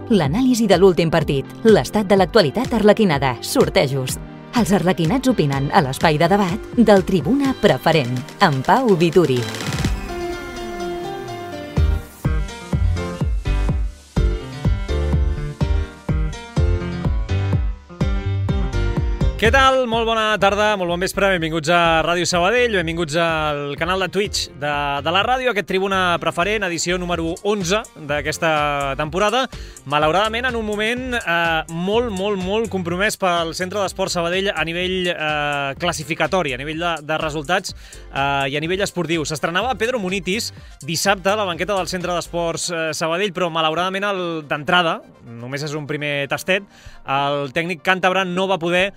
L'anàlisi de l'últim partit, l'estat de l'actualitat arlequinada, sortejos. Els arlequinats opinen a l'espai de debat del Tribuna Preferent, amb Pau Vituri. Què tal? Molt bona tarda, molt bon vespre, benvinguts a Ràdio Sabadell, benvinguts al canal de Twitch de la ràdio, aquest Tribuna Preferent, edició número 11 d'aquesta temporada. Malauradament, en un moment molt compromès pel Centre d'Esport Sabadell a nivell classificatori, a nivell de resultats i a nivell esportiu. S'estrenava Pedro Munitis dissabte a la banqueta del Centre d'Esports Sabadell, però malauradament d'entrada, només és un primer tastet, el tècnic càntabre no va poder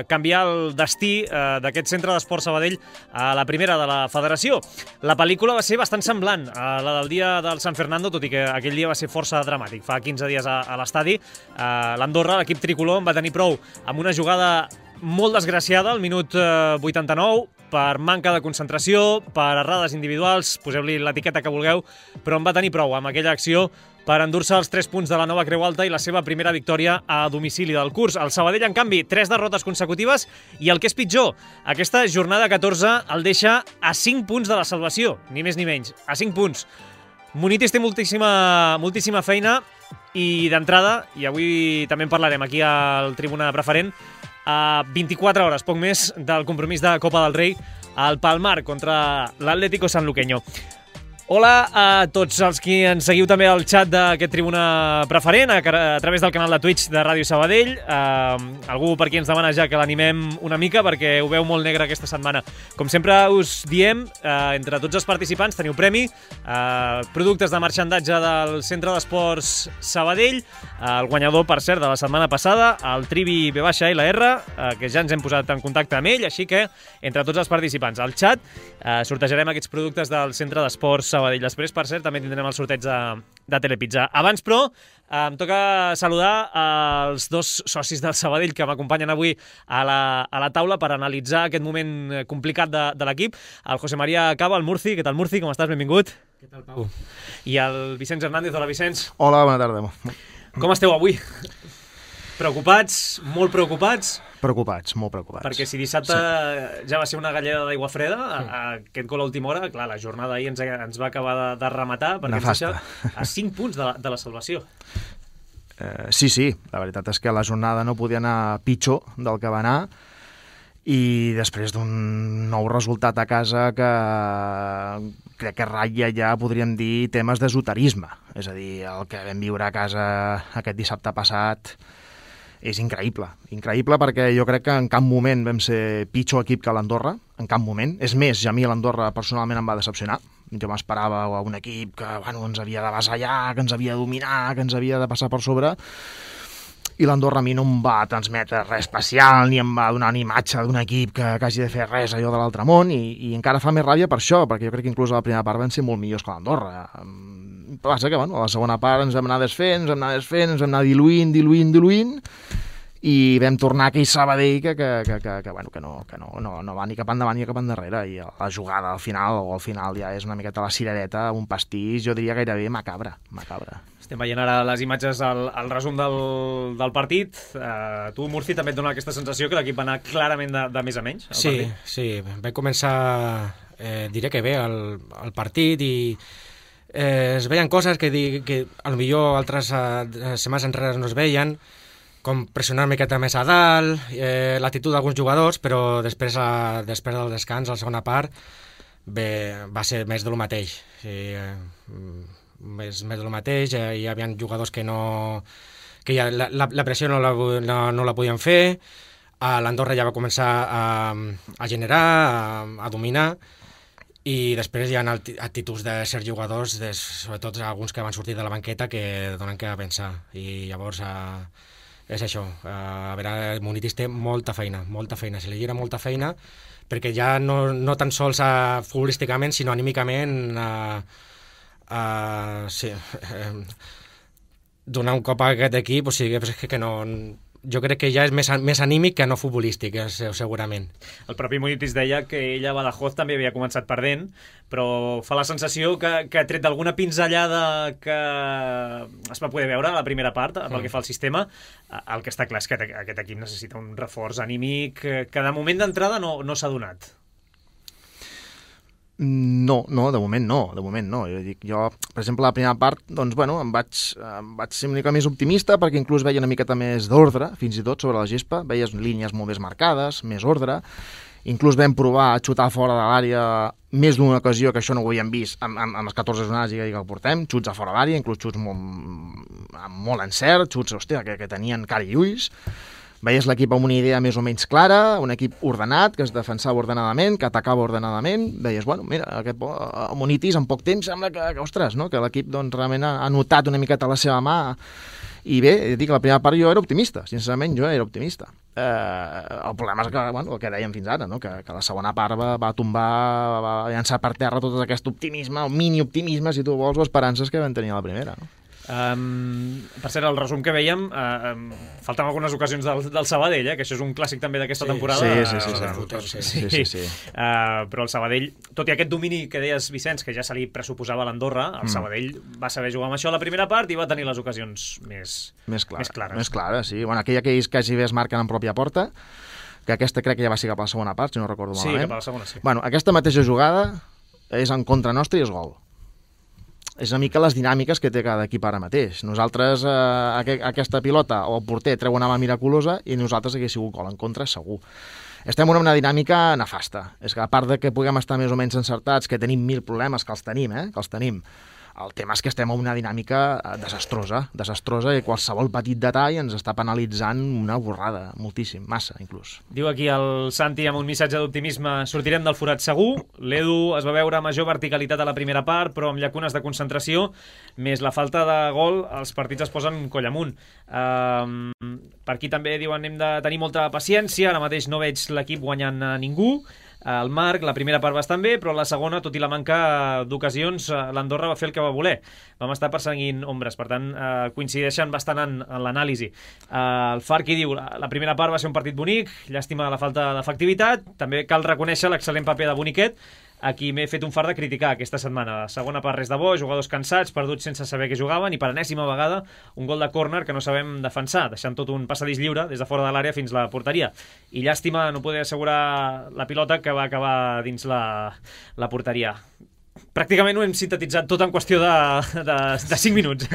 canviar el destí d'aquest Centre d'Esport Sabadell a la primera de la federació. La pel·lícula va ser bastant semblant a la del dia del San Fernando, tot i que aquell dia va ser força dramàtic. Fa 15 dies a l'estadi, l'Andorra, l'equip tricolor, va tenir prou amb una jugada molt desgraciada al minut 89, per manca de concentració, per errades individuals, poseu-li l'etiqueta que vulgueu, però en va tenir prou amb aquella acció per endur-se els 3 punts de la Nova Creu Alta i la seva primera victòria a domicili del curs. El Sabadell, en canvi, 3 derrotes consecutives i el que és pitjor, aquesta jornada 14 el deixa a 5 punts de la salvació, ni més ni menys, a 5 punts. Munitis té moltíssima feina i d'entrada, i avui també en parlarem aquí al Tribuna Preferent, a 24 hores, poc més, del compromís de Copa del Rei al Palmar contra l'Atlético Sanluqueño. Hola a tots els qui ens seguiu també al xat d'aquest Tribuna Preferent a través del canal de Twitch de Ràdio Sabadell. Algú per aquí ens demana ja que l'animem una mica perquè ho veu molt negre aquesta setmana. Com sempre us diem, entre tots els participants teniu premi, productes de marxandatge del Centre d'Esports Sabadell, el guanyador, per cert, de la setmana passada, el Trivi B-LR, que ja ens hem posat en contacte amb ell, així que entre tots els participants al xat sortejarem aquests productes del Centre d'Esports Sabadell. Després, per cert, també tindrem el sorteig de Telepizza. Abans, però, em toca saludar els dos socis del Sabadell que m'acompanyen avui a la taula per analitzar aquest moment complicat de l'equip. El José María Cava, el Murci. Què tal, Murci? Com estàs? Benvingut. Què tal, Pau? I el Vicenç Hernández. Hola, Vicenç. Hola, bona tarda. Com esteu avui? Preocupats? Molt preocupats? Preocupats, molt preocupats. Perquè si dissabte ja va ser una galleda d'aigua freda, aquest gol a última hora, clar, la jornada ahir ens va acabar de rematar, perquè ens deixa a 5 punts de la salvació. Sí, la veritat és que la jornada no podia anar pitjor del que va anar, i després d'un nou resultat a casa que crec que ratlla ja, podríem dir, temes d'esoterisme. És a dir, el que vam viure a casa aquest dissabte passat és increïble. Increïble perquè jo crec que en cap moment vam ser pitjor equip que l'Andorra, en cap moment. És més, ja a mi l'Andorra personalment em va decepcionar. Jo m'esperava un equip que ens havia d'avasallar, que ens havia de dominar, que ens havia de passar per sobre, i l'Andorra a mi no em va transmetre res especial, ni em va donar una imatge d'un equip que hagi de fer res allò de l'altre món, i encara fa més ràbia per això, perquè jo crec que inclús a la primera part van ser molt millors que l'Andorra. Passa que a la segona part ens vam anar desfent, ens vam anar diluint, i vam tornar a aquell Sabadell que no va ni cap endavant ni cap endarrere, i la jugada al final ja és una miqueta la cirereta, un pastís, jo diria gairebé macabre. Estem veient ara les imatges, el resum del partit. Tu, Murci, també et dona aquesta sensació que l'equip va anar clarament de més a menys? Sí, va començar, diré que bé, el partit, i es veien coses que potser altres setmanes enrere no es veien, com pressionar una miqueta més a dalt, l'actitud d'alguns jugadors, però després del descans, a la segona part, va ser més de lo mateix. Més de lo mateix, hi havia jugadors que ja la pressió no la podien fer, l'Andorra ja va començar a generar, a dominar, i després hi ha actituds de certs jugadors, sobretot alguns que van sortir de la banqueta, que donen que pensar, i llavors és això. A veure, Munitis té molta feina, se li gira molta feina, perquè ja no tan sols futbolísticament, sinó anímicament donar un cop a aquest equip, o sigui, que no jo crec que ja és més anímic que no futbolístic, segurament. El propi Munitis deia que ell a Badajoz també havia començat perdent, però fa la sensació que ha tret d'alguna pinzellada que es va poder veure a la primera part, pel que fa al sistema. El que està clar és que aquest equip necessita un reforç anímic que de moment d'entrada no s'ha donat. No, de moment no. Jo, per exemple, la primera part, doncs, bueno, em vaig ser una mica més optimista perquè inclús veia una miqueta més d'ordre, fins i tot, sobre la gespa. Veies línies molt més marcades, més ordre. Inclús vam provar a xutar fora de l'àrea més d'una ocasió, que això no ho havíem vist amb les 14 jornades i que el portem, xuts a fora d'àrea, inclús xuts amb molt encert, xuts, hòstia, que tenien cara i ulls. Veies l'equip amb una idea més o menys clara, un equip ordenat, que es defensava ordenadament, que atacava ordenadament. Veies, bueno, mira, aquest Munitis en poc temps sembla que ostres, no? Que l'equip doncs, realment ha notat una miqueta la seva mà. I bé, dic, la primera part jo era optimista, sincerament jo era optimista. El problema és que, bueno, el que dèiem fins ara, no? Que la segona part va tombar, va llançar per terra tot aquest optimisme, el mini-optimisme, si tu vols, o esperances que vam tenir a la primera, no? Per cert, el resum que vèiem, falten algunes ocasions del Sabadell, que això és un clàssic també d'aquesta temporada. Sí. Però el Sabadell, tot i aquest domini que deies, Vicenç, que ja se li pressuposava a l'Andorra, el Sabadell va saber jugar amb això a la primera part i va tenir les ocasions més clares. Més clares, sí. Bueno, aquella que ells quasi bé es marquen en pròpia porta, que aquesta crec que ja va ser cap a la segona part, si no recordo malament. Sí, cap a la segona, sí. Bueno, aquesta mateixa jugada és en contra nostra i és gol. És una mica les dinàmiques que té cada equip ara mateix. Nosaltres, aquesta pilota, o el porter treu una mà miraculosa i nosaltres hagués sigut gol en contra, segur. Estem en una dinàmica nefasta. És que a part de que puguem estar més o menys encertats, que tenim 1000 problemes, que els tenim, el tema és que estem en una dinàmica desastrosa i qualsevol petit detall ens està penalitzant una borrada, moltíssim, massa inclús. Diu aquí el Santi amb un missatge d'optimisme: sortirem del forat segur. L'Edu es va veure major verticalitat a la primera part, però amb llacunes de concentració, més la falta de gol, els partits es posen coll amunt. Per aquí també diuen hem de tenir molta paciència, ara mateix no veig l'equip guanyant a ningú. El Marc, la primera part bastant bé, però la segona, tot i la manca d'ocasions, l'Andorra va fer el que va voler. Vam estar perseguint ombres, per tant, coincideixen bastant en l'anàlisi. El Farqui diu, la primera part va ser un partit bonic, llàstima la falta d'efectivitat, també cal reconèixer l'excel·lent paper de Boniquet, a qui m'he fet un fart de criticar aquesta setmana. La segona part res de bo, jugadors cansats, perduts sense saber què jugaven, i per enèsima vegada un gol de córner que no sabem defensar, deixant tot un passadís lliure des de fora de l'àrea fins a la porteria. I llàstima no poder assegurar la pilota que va acabar dins la porteria. Pràcticament ho hem sintetitzat tot en qüestió de 5 minuts.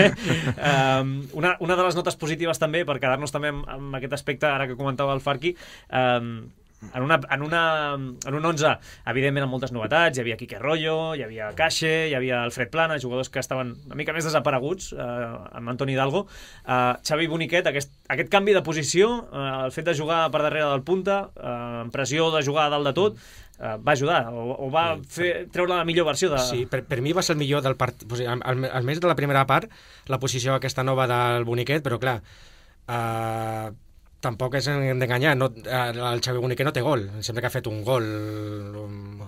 Una de les notes positives també, per quedar-nos també amb aquest aspecte, ara que comentava el Farqui, en un 11, evidentment amb moltes novetats. Hi havia Quique Rollo, hi havia Caixe, hi havia Alfred Plana, jugadors que estaven una mica més desapareguts, amb Antoni Hidalgo. Xavi Boniquet, aquest canvi de posició, el fet de jugar per darrere del punta, amb pressió de jugar a dalt de tot, va ajudar, o va treure la millor versió de... Sí, per mi va ser el millor del partit, almenys de la primera part, la posició aquesta nova del Boniquet, però clar, tampoc és d'enganyar, el Xavi Boniquet no té gol, sempre que ha fet un gol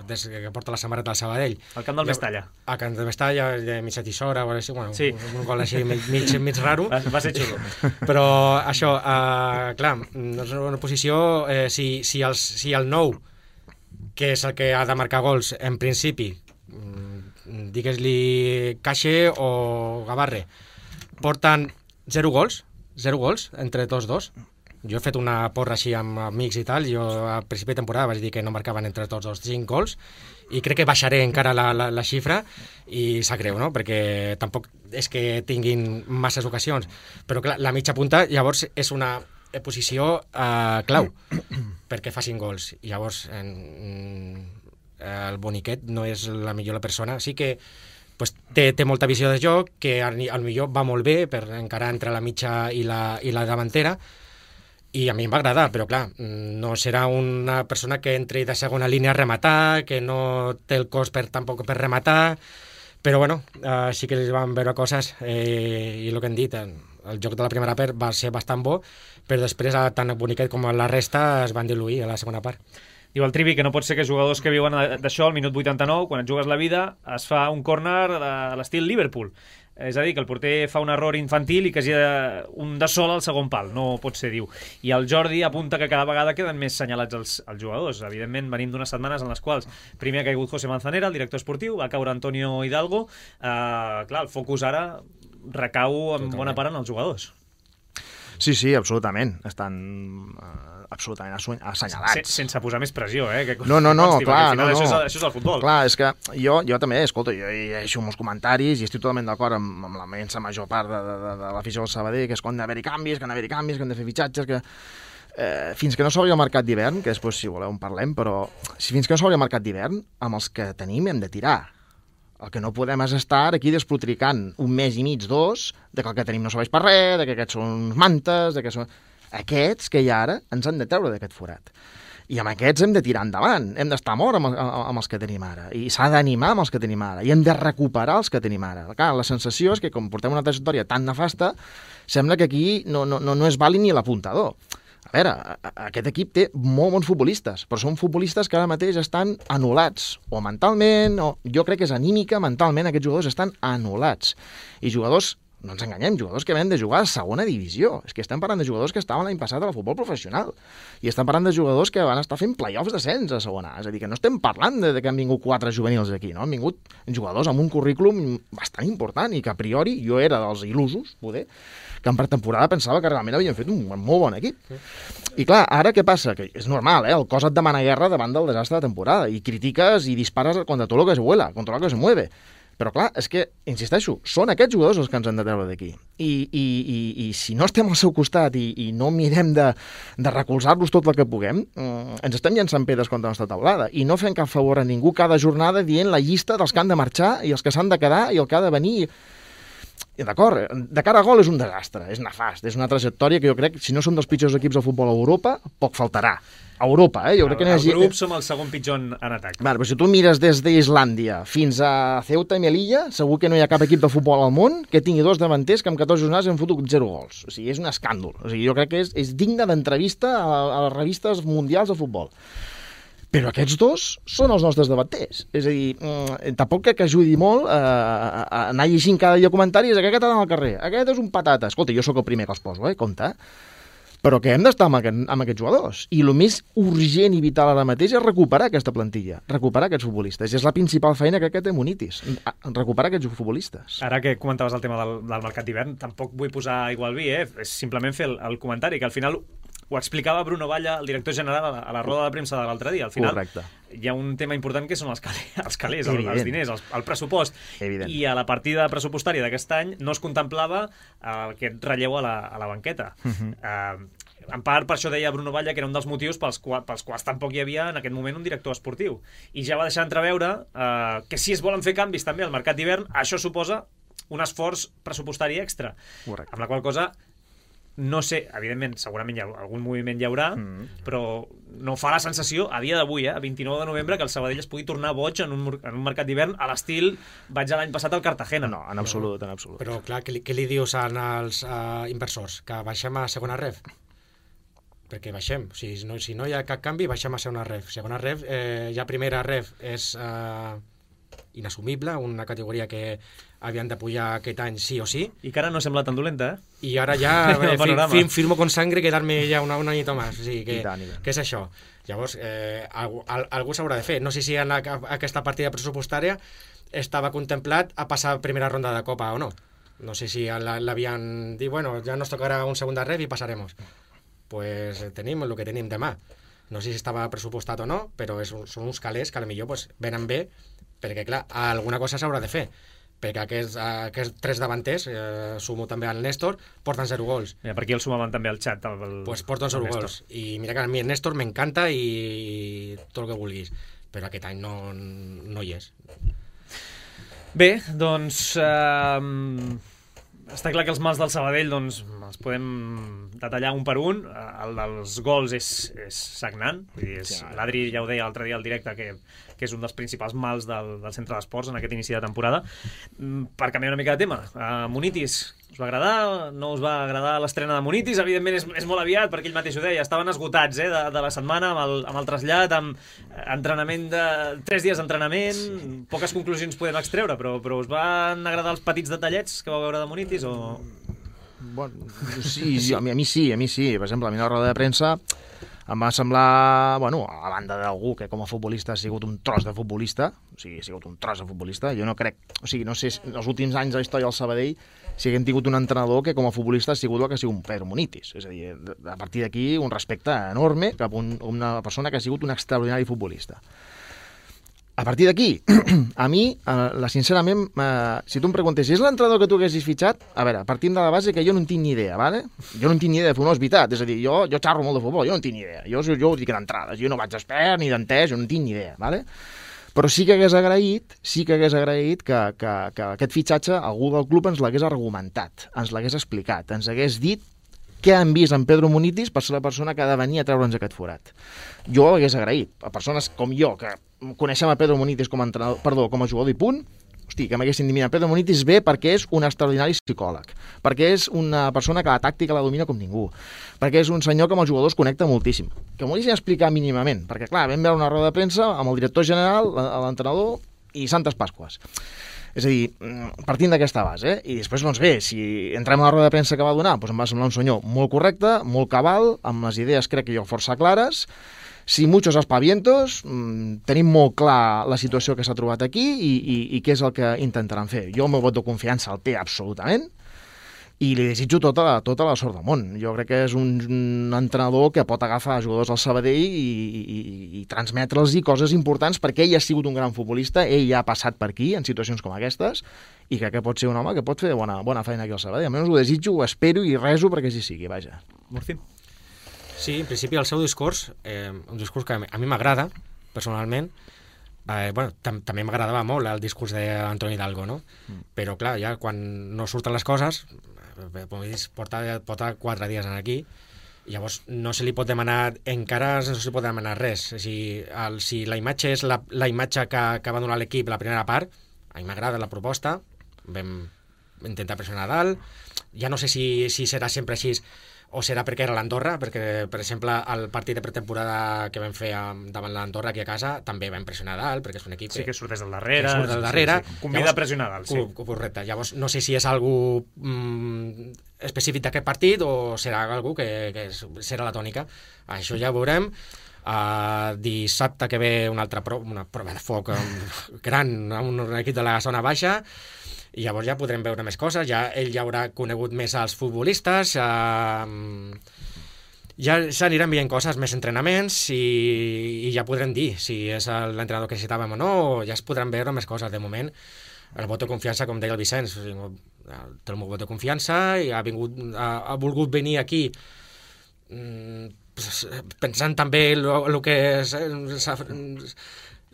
des que porta la samarreta del Sabadell. Al camp del Mestalla. Al camp del Mestalla, de mitja tisora, bueno, sí. Un gol així mig raro. Va ser xulo. Però això, clar, és una posició, si el nou, que és el que ha de marcar gols, en principi, digues-li Caixe o Gavarre, porten 0 gols entre tots dos. Jo he fet una porra així amb amics i tal, jo a principi de temporada vaig dir que no marcaven entre tots dos 5 gols, i crec que baixaré encara la xifra, i sap greu, no? Perquè tampoc és que tinguin masses ocasions, però clar, la mitja punta llavors és una posició clau perquè facin gols. I llavors el Boniquet no és la millor persona, sí que pues, té molta visió de joc, que al millor va molt bé per encarar entre la mitja i la davantera, i a mi em va agradar, però clar, no serà una persona que entri de segona línia a rematar, que no té el cos tampoc per rematar, però bueno, sí que li van veure coses, i el que hem dit, el joc de la primera part va ser bastant bo, però després tant el Boniquet com la resta es van diluir a la segona part. Diu el Trivi que no pot ser que jugadors que viuen d'això al minut 89, quan et jugues la vida, es fa un córner a l'estil Liverpool. És a dir, que el porter fa un error infantil i que hagi un de sol al segon pal. No pot ser, diu. I el Jordi apunta que cada vegada queden més senyalats els jugadors. Evidentment, venim d'unes setmanes en les quals primer ha caigut José Manzanera, el director esportiu, va caure Antonio Hidalgo. Clar, el focus ara recau en bona part en els jugadors. Sí, sí, absolutament. Estan absolutament assenyalats. Sense posar més pressió, Que no, clar, no. Això és el futbol. Clar, és que jo també, escolta, jo llegeixo molts comentaris i estic totalment d'acord amb la immensa major part de l'afició del Sabadell, que és que han d'haver-hi canvis, que han de fer fitxatges, que fins que no s'obri el mercat d'hivern, que després, si voleu, en parlem, però fins que no s'obri el mercat d'hivern, amb els que tenim hem de tirar. El que no podem és estar aquí desplotricant un mes i mig, 2, de que el que tenim no serveix per res, de que aquests són uns mantes, de que són... Aquests que hi ha ara ens han de treure d'aquest forat. I amb aquests hem de tirar endavant, hem d'estar mort amb els que tenim ara, i s'ha d'animar amb els que tenim ara, i hem de recuperar els que tenim ara. Clar, la sensació és que, com portem una trajectòria tan nefasta, sembla que aquí no és vàlid ni l'apuntador. A veure, aquest equip té molt bons futbolistes, però són futbolistes que ara mateix estan anul·lats, o mentalment, o jo crec que és anímica, mentalment aquests jugadors estan anul·lats. I jugadors, no ens enganyem, jugadors que venen de jugar a segona divisió. És que estem parlant de jugadors que estaven l'any passat al futbol professional. I estem parlant de jugadors que van estar fent play-offs d'ascens a segona. És a dir, que no estem parlant de que han vingut 4 juvenils aquí, no? Han vingut jugadors amb un currículum bastant important i que a priori jo era dels il·lusos, poder, que en pretemporada pensava que realment havien fet un molt bon equip. I clar, ara què passa? Que és normal, el cos et demana guerra davant del desastre de temporada i critiques i dispares contra tot lo que se vuela, contra lo que se mueve. Però clar, és que, insisteixo, són aquests jugadors els que ens han de treure d'aquí. I si no estem al seu costat i no mirem de recolzar-los tot el que puguem, ens estem llançant pedres contra la nostra taulada i no fem cap favor a ningú cada jornada dient la llista dels que han de marxar i els que s'han de quedar i el que ha de venir. D'acord, de cara a gol és un desastre, és nefast, és una trajectòria que jo crec, si no són dels pitjors equips de futbol a Europa, poc faltarà. A Europa, Jo crec que el grup som el segon pitjor en atac. Vale, però si tu mires des d'Islàndia fins a Ceuta i Melilla, segur que no hi ha cap equip de futbol al món que tingui 2 davanters que amb 14 jornades han fotut 0 gols. O sigui, és un escàndol. O sigui, jo crec que és digne d'entrevista a les revistes mundials de futbol. Però aquests 2 són els nostres davanters. És a dir, tampoc crec que ajudi molt a anar llegint cada dia comentaris que aquest ha d'anar al carrer, aquest és un patata. Escolta, jo sóc el primer que els poso, compte. Però que hem d'estar amb aquests jugadors. I el més urgent i vital ara mateix és recuperar aquesta plantilla, recuperar aquests futbolistes. I és la principal feina que té Munitis, recuperar aquests futbolistes. Ara que comentaves el tema del mercat d'hivern, tampoc vull posar igual vi, És simplement fer el comentari, que al final ho explicava Bruno Valla, el director general, a la roda de premsa de l'altre dia. Al final, correcte, hi ha un tema important que són els calés, els diners, el pressupost. Evident. I a la partida pressupostària d'aquest any no es contemplava aquest relleu a la banqueta. En part, per això deia Bruno Valla que era un dels motius pels quals tampoc hi havia en aquest moment un director esportiu. I ja va deixar entreveure que si es volen fer canvis també al mercat d'hivern, això suposa un esforç pressupostari extra. Correcte. Amb la qual cosa, no sé, evidentment, segurament algun moviment hi haurà, però no fa la sensació, a dia d'avui, a 29 de novembre, que el Sabadell es pugui tornar boig en un mercat d'hivern a l'estil vaig l'any passat al Cartagena. No, en absolut, en absolut. Però, clar, què li dius als inversors? Que baixem a segona ref? Perquè baixem. Si no hi ha cap canvi, baixem a segona ref. Segona ref, ja primera ref és inassumible, una categoria que havien de pujar aquest any sí o sí. I que ara no sembla tan dolenta, I ara ja firmo con sangre quedar-me ja una anyita més. O sigui, què és això? Llavors, algú s'haurà de fer. No sé si en aquesta partida pressupostària estava contemplat a passar primera ronda de Copa o no. No sé si l'havien dit, bueno, ja nos tocarà un segunda ref i passaremos. Pues tenim el que tenim demà. No sé si estava pressupostat o no, però són uns calés que potser pues, venen bé, perquè clar, alguna cosa s'haurà de fer, perquè aquests 3 davanters, sumo també al Néstor, porten 0 gols. Mira, per aquí el sumaven també al xat. Pues porten 0 gols. I mira que a mi el Néstor m'encanta i tot el que vulguis, però aquest any no hi és. Bé, doncs està clar que els mals del Sabadell, doncs, els podem detallar un per un. El dels gols és sagnant. L'Adri ja ho deia l'altre dia al directe, que és un dels principals mals del centre d'esports en aquest inici de temporada. Per canviar una mica de tema, Munitis, us va agradar? No us va agradar l'estrena de Munitis? Evidentment és molt aviat, perquè ell mateix ho deia, estaven esgotats de la setmana amb el trasllat, amb entrenament de 3 dies d'entrenament, poques conclusions podem extreure, però us van agradar els petits detallets que vau veure de Munitis o...? Bueno, sí, a mi sí. Per exemple, a mi la roda de premsa em va semblar, bueno, a banda d'algú que com a futbolista ha sigut un tros de futbolista, jo no crec, no sé, en els últims anys de la història del Sabadell si haguem tingut un entrenador que com a futbolista ha sigut el que ha sigut un Pedro Munitis, és a dir, a partir d'aquí un respecte enorme cap a una persona que ha sigut un extraordinari futbolista. A partir d'aquí, a mi, sincerament, si tu em preguntes, és l'entrenador que tu haguessis fitxat? A veure, partim de la base que jo no en tinc ni idea, ¿vale? Jo no en tinc ni idea de futbol, és veritat. És a dir, jo xarro molt de futbol, jo no en tinc ni idea. Jo ho dic d'entrades, jo no vaig expert ni d'entès, jo no en tinc ni idea, ¿vale? Però sí que hagués agraït que aquest fitxatge algú del club ens l'hagués argumentat, ens l'hagués explicat, ens hagués dit què han vist en Pedro Munitis per ser la persona que ha de venir a treure'ns aquest forat. Jo ho hagués agraït. A persones com jo, que coneixem a Pedro Munitis com a jugador i punt, hosti, que m'haguessin dit, mira, Pedro Munitis ve perquè és un extraordinari psicòleg, perquè és una persona que la tàctica la domina com ningú, perquè és un senyor que amb els jugadors connecta moltíssim. Que m'ho haguessin explicar mínimament, perquè clar, vam veure una roda de premsa amb el director general, l'entrenador i Santes Pasques. És a dir, partint d'aquesta base, i després, doncs bé, si entrem a la roda de premsa que va donar, doncs em va semblar un senyor molt correcte, molt cabal, amb les idees crec que jo força clares, sin muchos aspavientos, tenim molt clar la situació que s'ha trobat aquí i què és el que intentaran fer. Jo el meu vot de confiança el té absolutament, i li desitjo tota la sort del món. Jo crec que és un entrenador que pot agafar jugadors al Sabadell i transmetre'ls coses importants, perquè ell ha sigut un gran futbolista, ell ja ha passat per aquí en situacions com aquestes, i crec que pot ser un home que pot fer bona feina aquí al Sabadell. Almenys ho desitjo, ho espero i rezo perquè així sigui, vaja. Murci. Sí, en principi el seu discurs, un discurs que a mi m'agrada, personalment. També m'agradava molt el discurs d'Antoni Hidalgo, no? Però clar, ja quan no surten les coses, porta 4 dies aquí, i llavors no se li pot demanar, encara no se li pot demanar res. Si la imatge és la imatge que va donar l'equip la primera part, a mi m'agrada la proposta, vam intentar pressionar a dalt, ja no sé si serà sempre així o serà perquè era l'Andorra, perquè, per exemple, el partit de pretemporada que vam fer davant l'Andorra aquí a casa també va impressionar a dalt, perquè és un equip... Sí, que surt des del darrere. Sí. Convida a pressionar a dalt, sí. Correcte. Llavors, no sé si és algú específic d'aquest partit o serà algú que serà la tònica. Això ja ho veurem. Dissabte que ve una prova de foc gran, un equip de la zona baixa, i llavors ja podrem veure més coses, ell ja haurà conegut més als futbolistes, ja s'aniran veient coses, més entrenaments, i ja podrem dir si és l'entrenador que necessitàvem o no, ja es podran veure més coses. De moment, el vot de confiança, com deia el Vicenç, té el meu vot de confiança i ha volgut venir aquí pensant també el que és...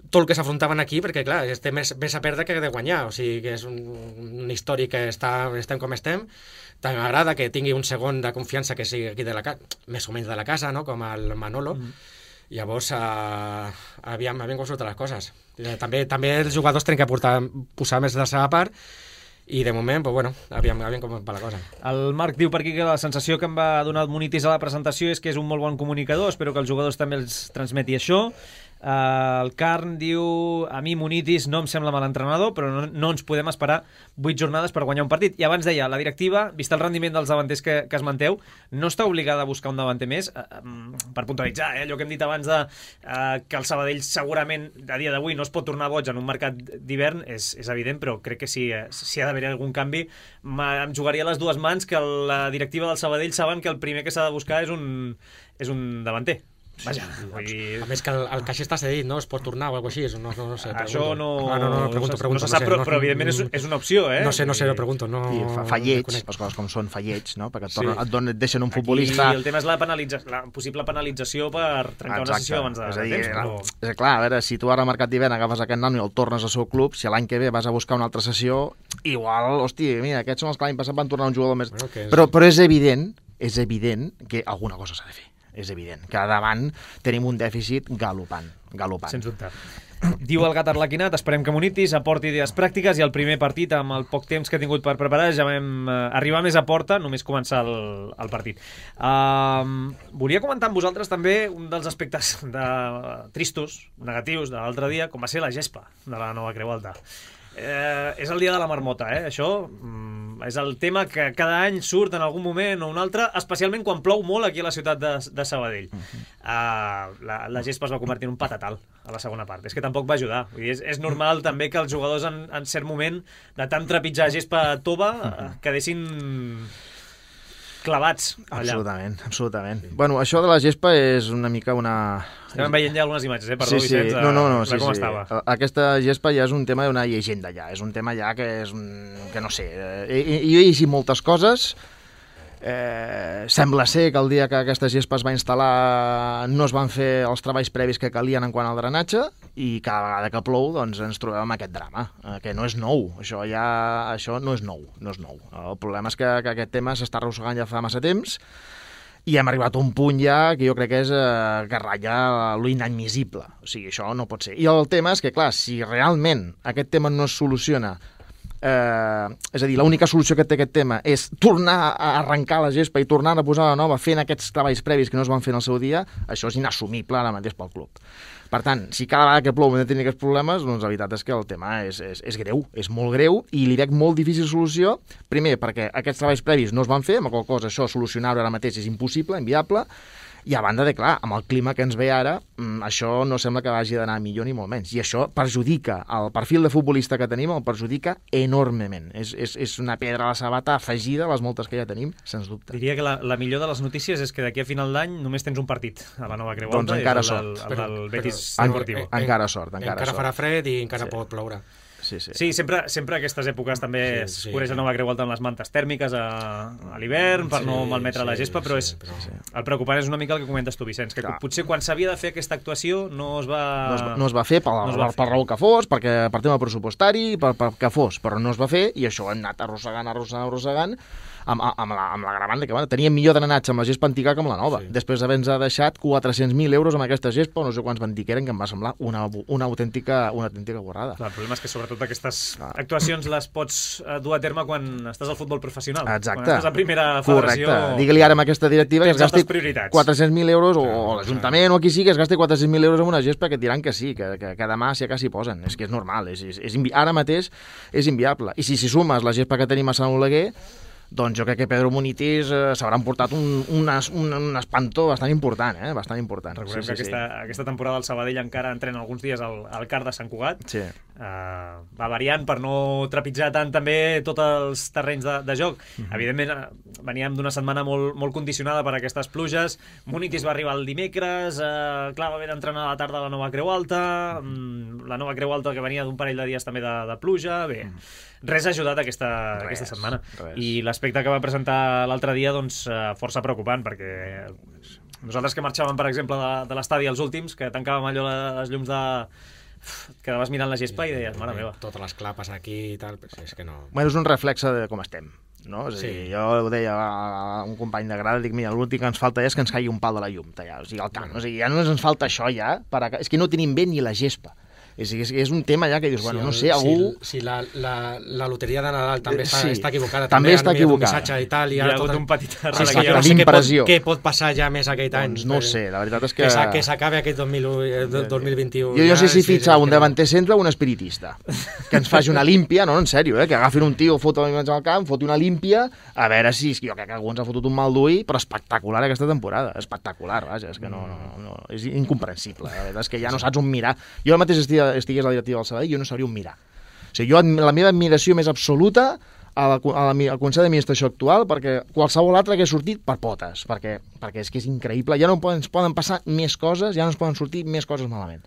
tot el que s'afrontaven aquí, perquè clar, té més a perdre que de guanyar, o sigui que és un històric que estem com estem. També m'agrada que tingui un segon de confiança que sigui aquí de la casa, més o menys de la casa, no? Com el Manolo. Llavors, aviam com surten les coses. També els jugadors tenen que posar més de la seva part, i de moment, pues bueno, aviam com va la cosa. El Marc diu per aquí que la sensació que em va donar el Munitis a la presentació és que és un molt bon comunicador, espero que els jugadors també els transmeti això. El Carn diu, a mi Munitis no em sembla mal entrenador, però no ens podem esperar 8 jornades per guanyar un partit. I abans deia, la directiva, vist el rendiment dels davanters que esmenteu, no està obligada a buscar un davanter més, per puntualitzar, allò que hem dit abans de que el Sabadell segurament a dia d'avui no es pot tornar boig en un mercat d'hivern, és evident, però crec que si ha d'haver algun canvi, em jugaria a les dues mans que la directiva del Sabadell saben que el primer que s'ha de buscar és un davanter. Vaja, a més que el caix està cedit, no? Es pot tornar o alguna cosa així, no sé. Això no... pregunto. No se sap, però evidentment és una opció, eh? No sé, ho pregunto. Fa lleig, les coses com són, fa lleig, no? Perquè et deixen un futbolista... Aquí el tema és la possible penalització per trencar una sessió abans de temps. És clar, a veure, si tu ara al mercat d'hivern agafes aquest nano i el tornes al seu club, si l'any que ve vas a buscar una altra sessió, igual, hosti, mira, aquests són els que l'any passat van tornar un jugador més... Bueno, Però és evident que alguna cosa s'ha de fer. És evident que davant tenim un dèficit galopant. Sens dubte. Diu el Gat Arlequinat, esperem que Munitis aporti idees pràctiques i el primer partit, amb el poc temps que ha tingut per preparar, ja vam arribar més a porta, només començar el partit. Volia comentar amb vosaltres també un dels aspectes tristos, negatius de l'altre dia, com va ser la gespa de la Nova Creu Alta. És el dia de la marmota, això és el tema que cada any surt en algun moment o un altre, especialment quan plou molt aquí a la ciutat de Sabadell. La gespa es va convertir en un patatal a la segona part, és que tampoc va ajudar. Vull dir, és normal també que els jugadors en cert moment de tant trepitjar gespa tova quedessin clavats allà. Absolutament. Bueno, això de la gespa és una mica una... Estem veient ja algunes imatges, perdó, sí. Vicenç, sí, com estava. Aquesta gespa ja és un tema d'una llegenda ja, és un tema ja que és... que no sé, jo he llegit moltes coses, sembla ser que el dia que aquesta gespa es va instal·lar no es van fer els treballs previs que calien en quant al drenatge i cada vegada que plou doncs ens trobem amb aquest drama, que no és nou, això no és nou. El problema és que aquest tema s'està arrossegant ja fa massa temps i hem arribat a un punt ja que jo crec que és que ratlla l'inadmissible. O sigui, això no pot ser. I el tema és que, clar, si realment aquest tema no es soluciona, és a dir, l'única solució que té aquest tema és tornar a arrencar la gespa i tornar a posar la nova fent aquests treballs previs que no es van fer en el seu dia, això és inassumible ara mateix pel club. Per tant, si cada vegada que plou hem de tenir aquests problemes, doncs la veritat és que el tema és greu, és molt greu i li veig molt difícil solució, primer perquè aquests treballs previs no es van fer, amb qual cosa això solucionar-ho ara mateix és impossible, inviable, i a banda de, clar, amb el clima que ens ve ara, això no sembla que vagi d'anar millor ni molt menys. I això perjudica el perfil de futbolista que tenim, el perjudica enormement. És una pedra a la sabata afegida a les moltes que ja tenim, sens dubte. Diria que la millor de les notícies és que d'aquí a final d'any només tens un partit a la Nova Creu Alta. Doncs encara sort. El del Betis Deportivo. Encara sort. Encara farà fred i encara pot ploure. Sí, sempre aquestes èpoques també es cobreix la Nova Creu Alta amb les mantes tèrmiques a l'hivern per no malmetre la gespa, però el preocupant és una mica el que comentes tu, Vicenç, que potser quan s'havia de fer aquesta actuació no es va fer per raó que fos, perquè per tema pressupostari, per que fos, però no es va fer i això hem anat arrossegant amb l'agravant que teníem millor drenatge amb la gespa antiga que amb la nova. Després d'haver-nos deixat 400.000 euros amb aquesta gespa, no sé quants van dir que eren, que em va semblar una autèntica borrada. Clar, el problema és que sobretot aquestes actuacions les pots dur a terme quan estàs al futbol professional. Exacte. Quan estàs a primera federació... Correcte. Digue-li ara amb aquesta directiva que es gasti 400.000 euros, o l'Ajuntament o qui sigui, que es gasti 400.000 euros en una gespa que diran que sí, que demà si s'hi posen. És que és normal, ara mateix és inviable. I si sumes la gespa que tenim a Sant Oleguer, doncs jo crec que Pedro Munitis s'haurà portat un espantó bastant important, bastant important. Recordem que aquesta temporada el Sabadell encara entrena alguns dies al CAR de Sant Cugat. Sí. Va variant per no trepitjar tant també tots els terrenys de joc. Evidentment, veníem d'una setmana molt condicionada per aquestes pluges. Munitis va arribar el dimecres, clar, va haver d'entrenar a la tarda a la Nova Creu Alta, la Nova Creu Alta que venia d'un parell de dies també de pluja. Bé, res ha ajudat aquesta setmana. I l'aspecte que va presentar l'altre dia, doncs, força preocupant, perquè nosaltres que marxàvem, per exemple, de l'estadi els últims, que tancàvem allò les llums de... quedaves mirant la gespa i deies, mare meva. Totes les clapes aquí i tal, però és que no... Bueno, és un reflexe de com estem, no? És a dir, jo ho deia a un company de grada, dic, mira, l'últim que ens falta és que ens caigui un pal de la llum, tallar, o sigui, al camp. O sigui, ja no ens falta això, ja, és que no tenim bé ni la gespa. És un tema ja que dius, bueno, no sé, algú... Si la loteria de Nadal també està equivocada. També està equivocada. Un missatge i tal. Hi ha hagut un petit arrel. Què pot passar ja més aquest any? Doncs no ho sé, la veritat és que... Que s'acabi aquest 2021. Jo no sé si fitxar un davanter centre o un espiritista. Que ens faci una límpia, no, en sèrio, que agafin un tio, foti al camp, foti una límpia, a veure si... Jo crec que algú ens ha fotut un mal d'ull, però espectacular aquesta temporada. Espectacular, vaja, és que no... És incomprensible, la veritat és que ja no saps on mirar. Jo mateix estigués a la directiva del Sabadell, jo no sabria on mirar. O sigui, la meva admiració més absoluta al Consell d'Administració actual, perquè qualsevol altre que ha sortit per potes, perquè és que és increïble. Ja no ens poden passar més coses, ja no ens poden sortir més coses malament.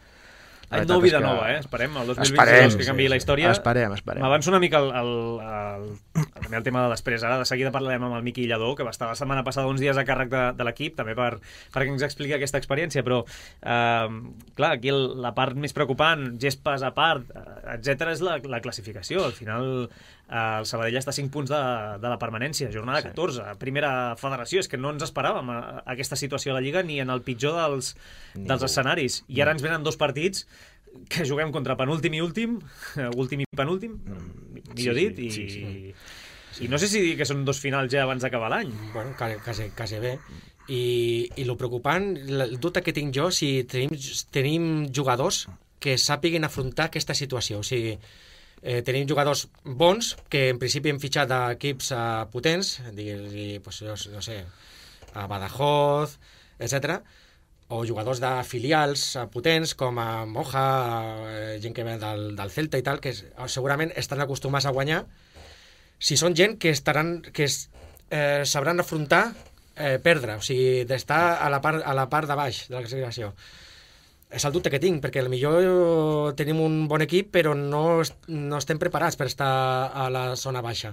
Any nou, vida nova, Esperem, el 2022 que canviï la història. Esperem. M'avanço una mica primer el tema de després. Ara de seguida parlarem amb el Miqui Lladó, que va estar la setmana passada uns dies a càrrec de l'equip, també perquè ens expliqui aquesta experiència, però clar, aquí la part més preocupant, gespes a part, etc., és la classificació. Al final el Sabadell està a 5 punts de la permanència, jornada 14, primera federació. És que no ens esperàvem aquesta situació a la Lliga ni en el pitjor dels escenaris. I ara ens venen 2 partits que juguem contra penúltim i últim i penúltim, millor dit, i no sé si dir que són 2 finals ja abans d'acabar l'any. Bueno, quasi bé. I el preocupant, el dubte que tinc jo, si tenim jugadors que sàpiguen afrontar aquesta situació. O sigui, tenim jugadors bons, que en principi hem fitxat d'equips potents, pues, no sé, a Badajoz, etc., o jugadors de filials potents com a Moja, gent que ve del Celta i tal, que segurament estan acostumats a guanyar. Si són gent que sabran afrontar perdre, o sigui, d'estar a la part de baix de la classificació. És el dubte que tinc, perquè potser tenim un bon equip, però no estem preparats per estar a la zona baixa.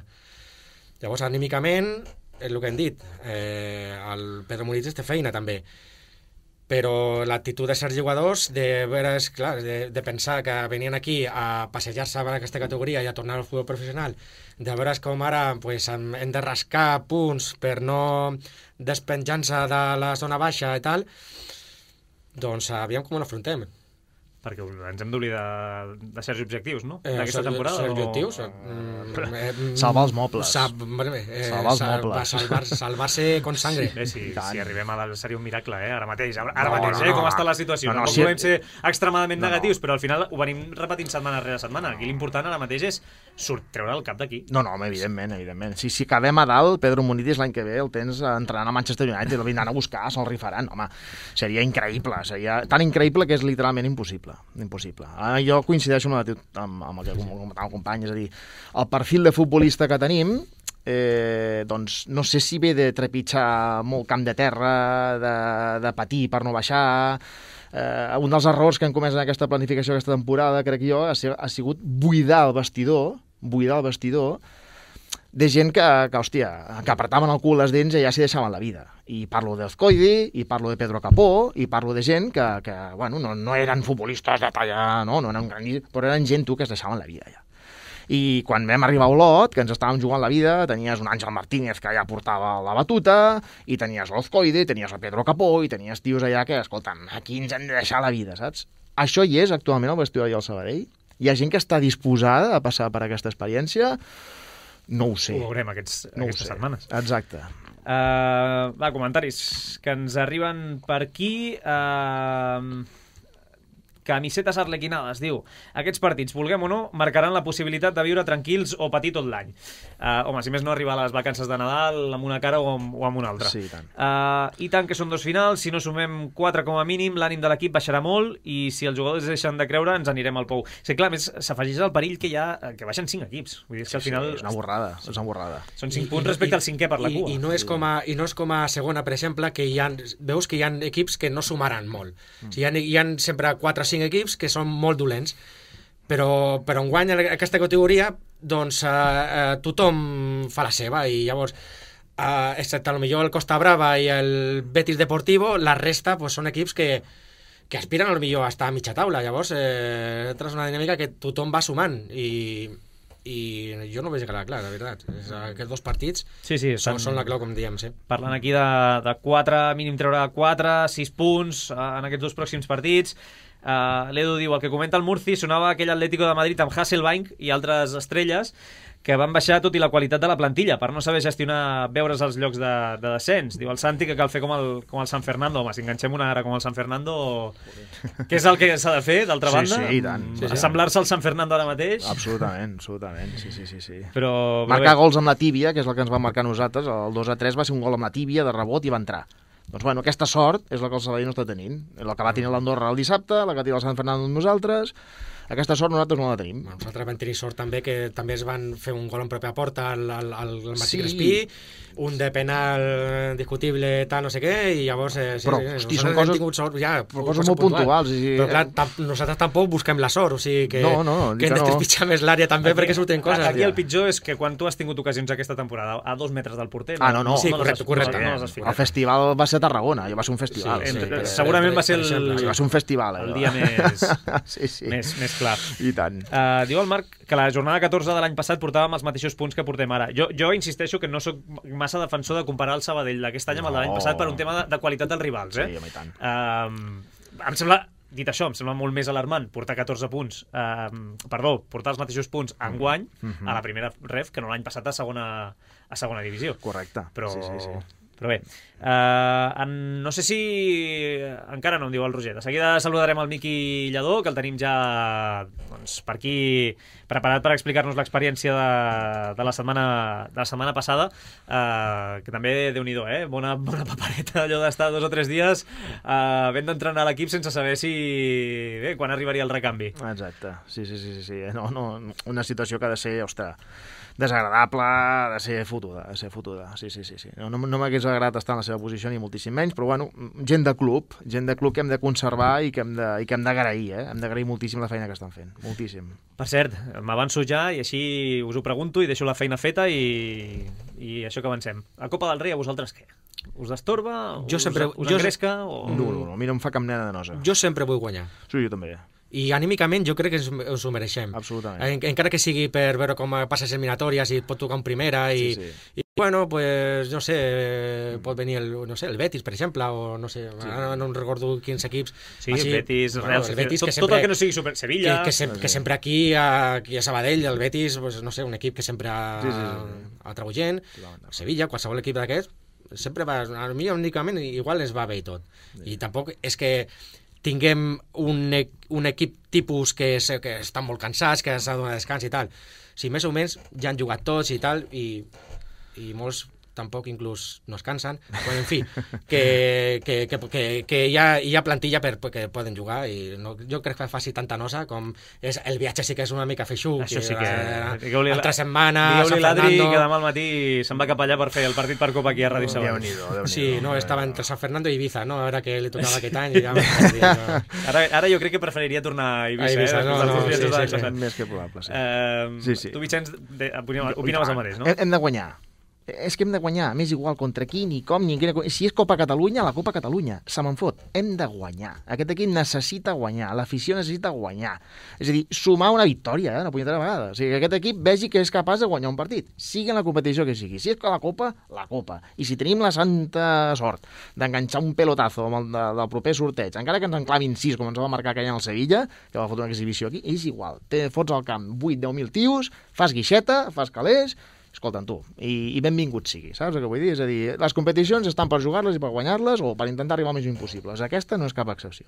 Llavors, anímicament, és el que hem dit, el Pedro Muniz té feina també, però l'actitud de certs jugadors de pensar que venien aquí a passejar-se per aquesta categoria i a tornar al futbol professional, de veure com ara pues, hem de rascar punts per no despenjar-se de la zona baixa i tal, doncs aviam com ho afrontem. Perquè ens hem d'oblidar de certs objectius, no? D'aquesta temporada. Certs objectius? Salvar els mobles. Salvar-se con sangre. Bé, si arribem a dalt seria un miracle, ara mateix. Ara mateix, com està la situació. No podem ser extremadament negatius, però al final ho venim repetint setmana rere setmana. Aquí l'important ara mateix és treure el cap d'aquí. No, home, evidentment. Si acabem a dalt, Pedro Muniz l'any que ve el tens entrenant a Manchester United, el vindran a buscar, se'l rifaran. Home, seria increïble. Seria tan increïble que és literalment impossible. Jo coincideixo amb el que comentava el company, és a dir, el perfil de futbolista que tenim, doncs no sé si ve de trepitjar molt camp de terra, de patir per no baixar. Un dels errors que hem comès en aquesta planificació aquesta temporada, crec jo, ha sigut buidar el vestidor de gent que apretaven el cul les dents i ja s'hi deixaven la vida. I parlo d'Ezcoidi, i parlo de Pedro Capó, i parlo de gent que bueno, no eren futbolistes de talla, no eren grans, però eren gent que es deixaven la vida ja. I quan vam arribar a Olot, que ens estàvem jugant la vida, tenies un Àngel Martínez que ja portava la batuta, i tenies l'Ezcoidi, tenies el Pedro Capó, i tenies tios allà que, escolta'm, aquí ens hem de deixar la vida, saps? Això hi és actualment al vestidor del Sabadell? Hi ha gent que està disposada a passar per aquesta experiència? No ho sé. Ho veurem aquestes setmanes. Exacte. Comentaris que ens arriben per aquí. Camisetes arlequinades, diu: aquests partits, vulguem o no, marcaran la possibilitat de viure tranquils o patir tot l'any. Home, si més no, arribar a les vacances de Nadal amb una cara o amb una altra. Sí, i tant. I tant que són 2 finals, si no sumem 4 com a mínim, l'ànim de l'equip baixarà molt i si els jugadors deixen de creure ens anirem al pou. Sí, clar, més s'afegeix el perill que baixen 5 equips. Vull dir, que al final... És una borrada. Són 5 punts respecte al 5è per la cua. I no és com a segona, per exemple, que veus que hi ha equips que no sumaran molt. O sigui, hi ha sempre 4 o 5 equips que són molt dolents, però enguany en aquesta categoria doncs tothom fa la seva i llavors excepte potser el Costa Brava i el Betis Deportivo, la resta pues, són equips que aspiren potser a estar a mitja taula. Llavors és una dinàmica que tothom va sumant i jo no veig clar, la veritat. Aquests 2 partits són la clau, com diem. Sí. Parlant aquí de 4, mínim treure 4, 6 punts en aquests 2 pròxims partits. L'Edu diu: el que comenta el Murci sonava aquell Atlético de Madrid amb Hasselbaink i altres estrelles que van baixar tot i la qualitat de la plantilla per no saber gestionar, veure's els llocs de descens. Diu el Santi que cal fer com el San Fernando. Home, si enganxem una ara com el San Fernando, què és el que s'ha de fer, d'altra banda? Sí, i tant. Assemblar-se al San Fernando ara mateix? Absolutament. Sí. Però marcar gols amb la tíbia, que és el que ens va marcar nosaltres, el 2-3 va ser un gol amb la tíbia de rebot i va entrar. Doncs bueno, aquesta sort és la que el Sabadell no està tenint. La que va tenir l'Andorra el dissabte, la que va tenir el Sant Fernando amb nosaltres, Aquesta sort nosaltres no la tenim. Nosaltres vam tenir sort també que també es van fer un gol en pròpia porta al Martí Crespí, un de penal discutible, tal, no sé què, i llavors però, hosti, són coses, tingut sort, coses molt puntuals. Però clar, nosaltres tampoc busquem la sort, o sigui que hem de trepitjar més l'àrea també perquè surten coses. Aquí el pitjor és que quan tu has tingut ocasions aquesta temporada a 2 metres del porter... no. Sí, correcte. El festival va ser a Tarragona, va ser un festival. Segurament va ser va ser un festival. El dia més clar. I tant. Diu el Marc que la jornada 14 de l'any passat portàvem els mateixos punts que portem ara. Jo insisteixo que no sóc massa defensor de comparar el Sabadell d'aquest any amb el de l'any passat per un tema de qualitat dels rivals. Sí, home, i tant. Em sembla, dit això, em sembla molt més alarmant portar 14 punts, portar els mateixos punts enguany a la primera ref que no l'any passat a segona divisió. Correcte. Però... Sí. Però bé, no sé si... Encara no em diu el Roger. De seguida saludarem el Miqui Lladó, que el tenim ja per aquí preparat per explicar-nos l'experiència de la setmana passada, que també, Déu-n'hi-do, bona papereta, allò d'estar 2 o 3 dies ben d'entrenar a l'equip sense saber quan arribaria el recanvi. Exacte, sí. No, una situació que ha de ser, ostres, desagradable, de ser fotuda. Sí. No m'hagués agradat estar en la seva posició ni moltíssim menys, però bueno, gent de club que hem de conservar i que hem d'agrair, hem d'agrair moltíssim la feina que estan fent, moltíssim. Per cert, m'avanço ja i així us ho pregunto i deixo la feina feta i això que avancem. La Copa del Rei a vosaltres què? Us destorba? Us engresca? No, a mi no em fa cap mena de nosa. Jo sempre vull guanyar. Sí, jo també. I anímicament jo crec que ens ho mereixem. Absolutament. Encara que sigui per veure com passes eliminatòries i et pot tocar en primera i bueno, pues no sé, pot venir el Betis, per exemple, o no sé, ara no recordo quins equips. Sí, el Betis, Real, tot el que no sigui Sevilla. Que sempre aquí a Sabadell, el Betis, pues, no sé, un equip que sempre atrau gent, Sevilla, qualsevol equip d'aquests, sempre va, a mi únicament igual ens va bé i tot. I tampoc és que tinguem un equip tipus que estan molt cansats, que s'ha de donar descans i tal. Sí, més o menys ja han jugat tots i tal, i molts tampoc inclús no es cansen, però en fi, que hi ha plantilla perquè poden jugar i jo crec que faci tanta nosa com és el viatge sí que és una mica feixuc. Això sí que... Altra setmana... Digueu-li l'Adri que demà al matí se'n va cap allà per fer el partit per Copa aquí a Ràdio Sabadell. Sí, no, estava entre San Fernando i Ibiza, no? Ara que li tocava aquest any... Ara jo crec que preferiria tornar a Ibiza. Més que probable, sí. Tu, Vicenç, opinaves el mateix, no? Hem de guanyar. És que hem de guanyar, m'és igual contra qui, ni com, ni quina... Si és Copa Catalunya, la Copa Catalunya, se me'n fot. Hem de guanyar. Aquest equip necessita guanyar, l'afició necessita guanyar. És a dir, sumar una victòria, una punyetera vegada. O sigui, que aquest equip vegi que és capaç de guanyar un partit, sigui en la competició que sigui. Si és la Copa, la Copa. I si tenim la santa sort d'enganxar un pelotazo amb el del proper sorteig, encara que ens enclavin 6, com ens va marcar aquell en el Sevilla, que va fotre una exhibició aquí, és igual. Fots al camp 8-10.000 tios, fas guixeta, fas calés... Escolta'm, tu, i benvingut sigui, saps el que vull dir? És a dir, les competicions estan per jugar-les i per guanyar-les o per intentar arribar al més impossibles. Aquesta no és cap excepció.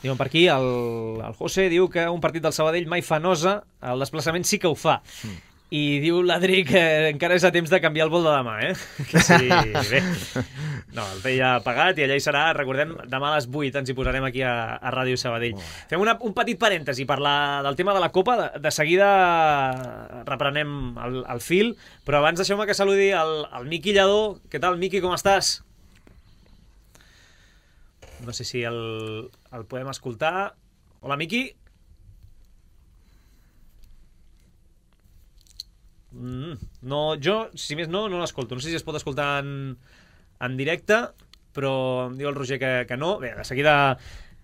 Diuen per aquí, el José diu que un partit del Sabadell mai fa nosa, el desplaçament sí que ho fa. I diu l'Adri que encara és a temps de canviar el vol de demà, Que sí, bé. No, el té ja pagat i allà hi serà, recordem, demà a les 8 ens hi posarem aquí a Ràdio Sabadell. Fem un petit parèntesi per del tema de la Copa, de seguida reprenem el fil, però abans deixeu-me que saludi el Miqui Lladó. Què tal, Miqui, com estàs? No sé si el podem escoltar. Hola, Miqui. No, jo, si més no l'escolto. No sé si es pot escoltar en directe, però em diu el Roger que no. Bé,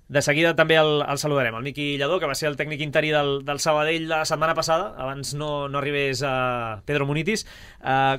de seguida també el saludarem, el Miqui Lladó, que va ser el tècnic interí del Sabadell la setmana passada, abans no arribés a Pedro Munitis.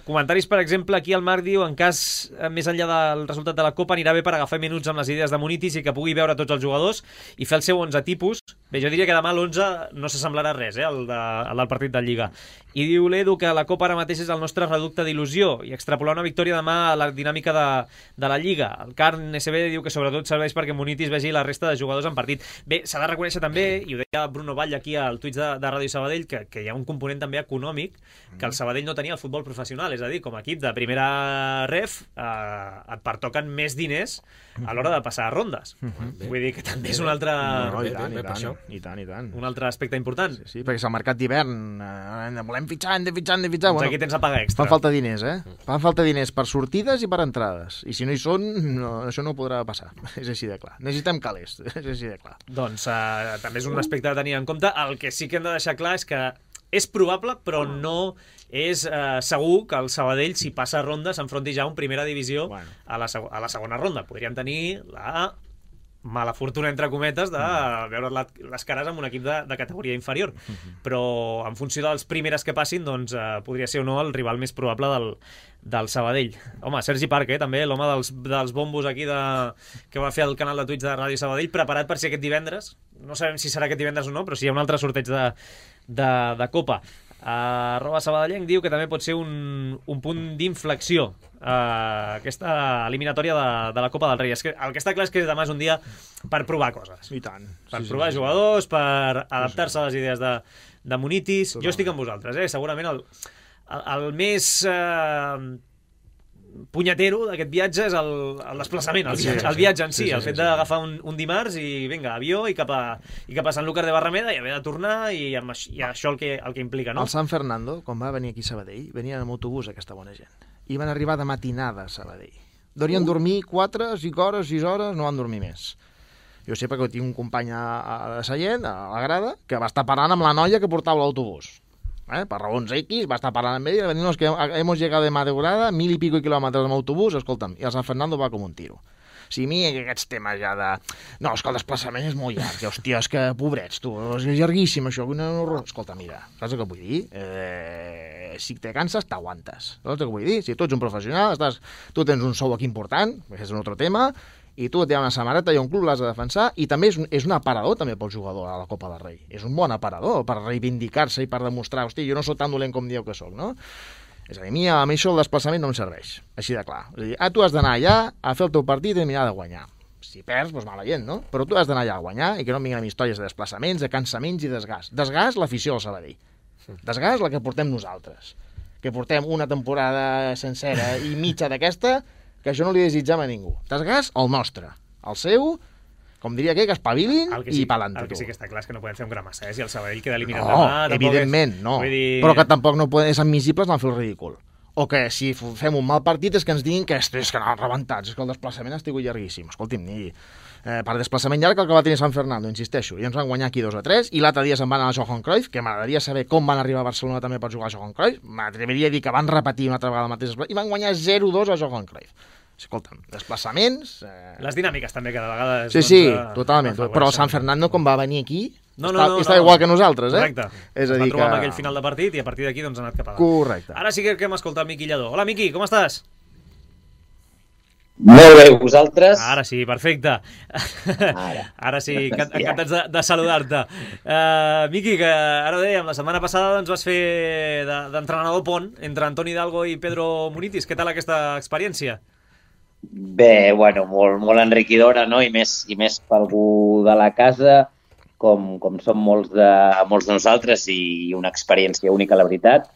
Comentaris, per exemple, aquí el Marc diu, en cas més enllà del resultat de la Copa, anirà bé per agafar minuts amb les idees de Munitis i que pugui veure tots els jugadors i fer el seu 11 tipus. Bé, jo diria que demà l'11 no s'assemblarà res, el del partit de Lliga. I diu l'Edu que la Copa ara mateix és el nostre reducte d'il·lusió i extrapolar una victòria demà a la dinàmica de la Lliga. El Carn SB diu que sobretot serveix perquè Munitis vegi la resta de jugadors en partit. Bé, s'ha de reconèixer també, i ho deia Bruno Vall aquí al Twitch de Ràdio Sabadell, que hi ha un component també econòmic que el Sabadell no tenia al futbol professional, és a dir, com a equip de primera ref et pertoquen més diners a l'hora de passar a rondes. Vull dir que també és un altre... I tant, i tant. Un altre aspecte important. Sí, perquè és el mercat d'hivern, volem fitxar, hem de fitxar. Doncs aquí tens la paga extra. Fan falta diners, Fan falta diners per sortides i per entrades. I si no hi són, això no podrà passar. És així de clar. Necessitem calés, és així de clar. Doncs també és un aspecte a tenir en compte. El que sí que hem de deixar clar és que és probable, però no és segur que el Sabadell, si passa ronda, s'enfronti ja a un primera divisió a la segona ronda. Podríem tenir la mala fortuna, entre cometes, de veure les cares amb un equip de categoria inferior. Però en funció dels primeres que passin, doncs podria ser o no el rival més probable del Sabadell. Home, Sergi Parc, també, l'home dels bombos aquí que va fer el canal de Twitch de Ràdio Sabadell, preparat per ser aquest divendres. No sabem si serà aquest divendres o no, però si hi ha un altre sorteig de Copa. @sabadellenc diu que també pot ser un punt d'inflexió aquesta eliminatòria de la Copa del Rei. El que està clar és que demà és un dia per provar coses. I tant. Per provar jugadors, per adaptar-se a les idees de Munitis. Jo estic amb vosaltres, segurament el més punyetero d'aquest viatge és el desplaçament, el viatge en si, el fet d'agafar un dimarts i vinga, avió i cap a Sanlúcar de Barrameda i haver de tornar i això el que implica, no? El San Fernando, quan va venir aquí a Sabadell, venien amb autobús aquesta bona gent i van arribar de matinada a Sabadell. Deurien dormir 4, 5 hores, 6 hores, no van dormir més. Jo sé perquè tinc un company a Sallent, a la grada, que va estar parlant amb la noia que portava l'autobús. Per raons X, va estar parlant amb ella, no, es que hemos llegado de madrugada, 1000 y pico kilòmetres amb autobús, escolta'm, i el San Fernando va com un tiro. Si a mi aquests temes ja de... No, és que el desplaçament és molt llarg, hòstia, és que pobrets, tu, és llarguíssim això, escolta, mira, saps el que vull dir? Si te canses, t'aguantes, saps el que vull dir? Si tu ets un professional, tu tens un sou aquí important, que és un altre tema, i tu et hi ha una samarreta i un club l'has de defensar, i també és un aparador també pel jugador a la Copa del Rei. És un bon aparador per reivindicar-se i per demostrar, hosti, jo no sóc tan dolent com dieu que sóc, no? És a dir, a mi això el desplaçament no em serveix, així de clar. És a dir, tu has d'anar allà a fer el teu partit i mirar de guanyar. Si perds, doncs mala gent, no? Però tu has d'anar allà a guanyar i que no em vinguin amb històries de desplaçaments, de cansaments i desgast. Desgast l'afició del Sabadell. Desgast la que portem nosaltres. Que portem una temporada sencera i mitja d'aquesta que això no li desitjam a ningú. Desgast el nostre. El seu, com diria que espavilin i pa'lante. El que sí que està clar és que no podem fer un gramassès i el Sabadell queda eliminat demà. No, evidentment, no. Però que tampoc no és admissible anar a fer el ridícul. O que si fem un mal partit és que ens diguin que és que anaven rebentats, és que el desplaçament ha estat llarguíssim. Escolti'm, per desplaçament llarg el que va tenir San Fernando, insisteixo, i ens van guanyar aquí 2-3, i l'altre dia se'n van anar a Johan Cruyff, que m'agradaria saber com van arribar a Barcelona també per jugar a Johan Cruyff, m'atreviria a dir que van repetir una altra vegada el mateix, i van guanyar 0-2 a Johan Cruyff. Escolta'm, desplaçaments... Les dinàmiques també cada vegada... Sí, totalment, però el San Fernando quan va venir aquí està igual que nosaltres, Correcte, es va trobar amb aquell final de partit i a partir d'aquí doncs ha anat cap a dalt. Correcte. Ara sí que hem escoltat el Miqui Lladó. Hola, Miqui, com estàs? Molt bé, vosaltres? Ara sí, perfecte. Ara sí, encantats de saludar-te. Miqui, que ara ho dèiem, la setmana passada doncs, vas fer d'entrenador pont entre Antoni Hidalgo i Pedro Munitis. Què tal aquesta experiència? Bé, bueno, molt enriquidora, no? I més per algú de la casa, com som molts de nosaltres, i una experiència única, la veritat,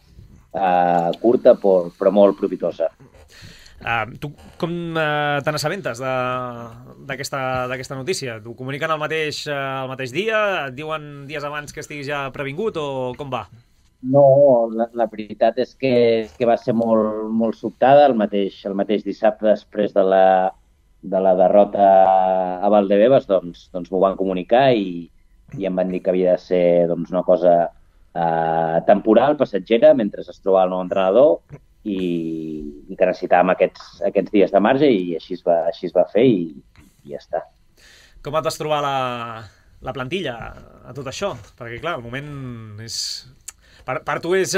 curta però molt profitosa. Tu com te n'assabentes d'aquesta notícia? T'ho comuniquen el mateix dia? Et diuen dies abans que estiguis ja previngut o com va? No, la veritat és que va ser molt sobtada. El mateix dissabte, després de la derrota a Valdebebas, doncs m'ho van comunicar i em van dir que havia de ser una cosa temporal, passatgera, mentre es trobava el nou entrenador, i que necessitàvem aquests dies de marge, i així es va fer i ja està. Com et vas trobar la plantilla a tot això? Perquè, clar, el moment és... Per tu és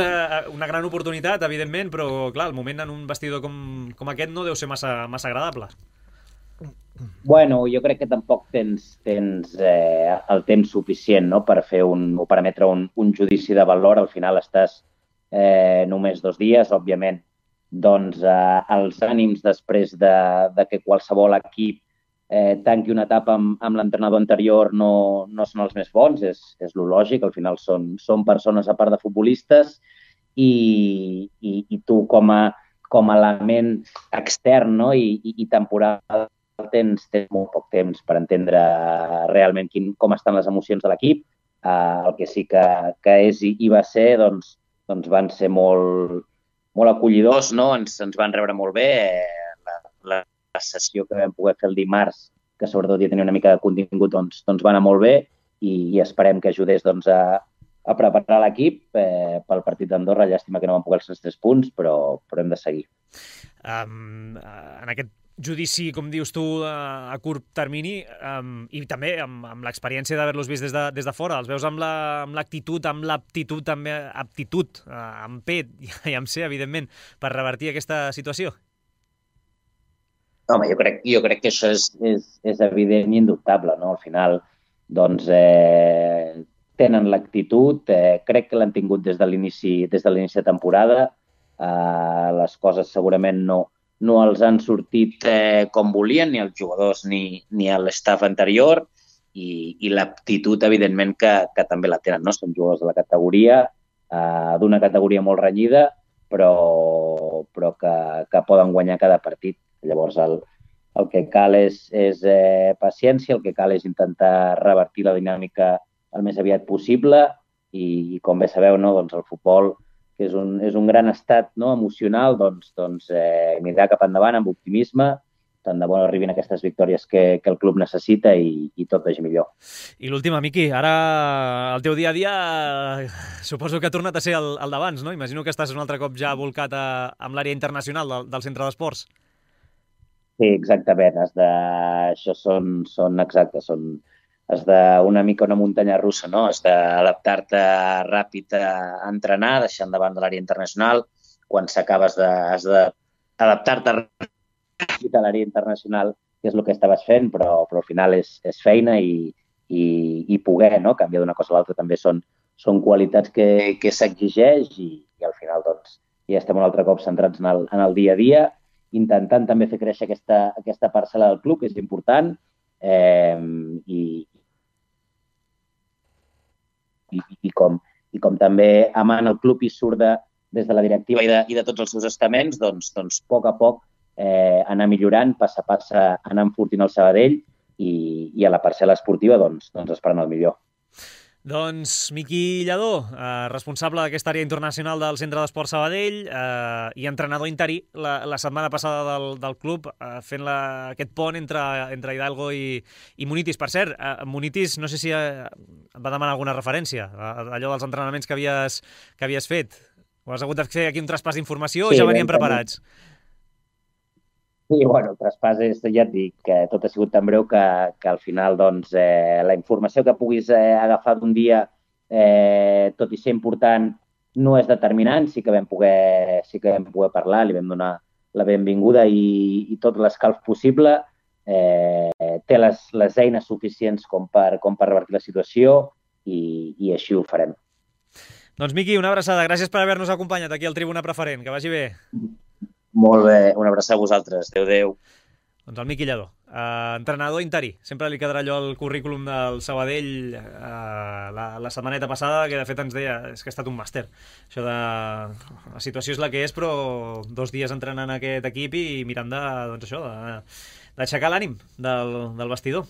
una gran oportunitat, evidentment, però, clar, el moment en un vestidor com aquest no deu ser massa agradable. Bueno, jo crec que tampoc tens el temps suficient, no?, per fer o per emetre un judici de valor. Al final estàs només 2 dies, òbviament. Doncs els ànims després de que qualsevol equip tanqui una etapa amb l'entrenador anterior no són els més bons, és lo lògic. Al final són persones a part de futbolistes i tu com a element extern, no?, i temporal tens molt poc temps per entendre realment com estan les emocions de l'equip. El que sí que és i va ser, doncs van ser molt acollidors, no? Ens van rebre molt bé. La sessió que vam poder fer el dimarts, que sobretot ja tenia una mica de contingut, doncs va anar molt bé i esperem que ajudés a preparar l'equip pel partit d'Andorra. Llàstima que no vam poder els 3 punts, però hem de seguir. En aquest judici, com dius tu, a curt termini, i també amb l'experiència d'haver-los vist des de fora, els veus amb l'actitud, amb l'aptitud, també aptitud, amb P i amb C, evidentment, per revertir aquesta situació? Home, jo crec que això és evident i indubtable, no? Al final, doncs, tenen l'actitud, crec que l'han tingut des de l'inici de temporada. Les coses segurament no els han sortit com volien, ni els jugadors ni l'estaf anterior, i l'aptitud, evidentment, que també la tenen, no? Són jugadors de la categoria, d'una categoria molt renyida, però que poden guanyar cada partit. Llavors, el que cal és paciència, el que cal és intentar revertir la dinàmica el més aviat possible i com bé sabeu, no? Doncs el futbol, que és un gran estat, no? Emocional, doncs mirar cap endavant amb optimisme, tant de bo arribin aquestes victòries que el club necessita i tot vagi millor. I l'última, Miqui, ara el teu dia a dia suposo que ha tornat a ser el d'abans, no? Imagino que estàs un altre cop ja volcat amb l'àrea internacional del centre d'esports. Sí, exactament. Això són exactes, has d'una mica una muntanya russa, no? Has d'adaptar-te ràpid a entrenar, deixant davant de l'àrea internacional. Quan s'acabes has d'adaptar-te ràpid a l'àrea internacional, que és el que estaves fent, però al final és feina i poder, no? Canviar d'una cosa a l'altra també són qualitats que s'exigeix i al final doncs ja estem un altre cop centrats en el dia a dia, intentant també fer créixer aquesta parcel·la del club, que és important, i com també amant el club i surt des de la directiva i de tots els seus estaments, doncs a poc anar millorant, pass a pass anar enfortint el Sabadell i a la parcel·la esportiva doncs esperant el millor. Doncs Miqui Lladó, responsable d'aquesta àrea internacional del Centre d'Esport Sabadell i entrenador interí la setmana passada del club, fent aquest pont entre Hidalgo i Munitis. Per cert, Munitis no sé si et va demanar alguna referència, allò dels entrenaments que havies fet. O has hagut de fer aquí un traspàs d'informació o ja venien preparats? Sí, bueno, el traspàs ja et dic que tot ha sigut tan breu que al final doncs, la informació que puguis agafar d'un dia, tot i ser important, no és determinant. Sí que vam poder parlar, li vam donar la benvinguda i tot l'escalf possible. Té les eines suficients com per revertir la situació i així ho farem. Doncs Miqui, una abraçada. Gràcies per haver-nos acompanyat aquí al Tribuna Preferent. Que vagi bé. Molt bé, una abraçada a vosaltres. Adéu. Doncs el Miqui Lladó, entrenador interí. Sempre li quedarà allò al currículum del Sabadell la setmaneta passada, que de fet ens deia que ha estat un màster. Això de... La situació és la que és, però 2 dies entrenant aquest equip i mirant d'aixecar l'ànim del vestidor.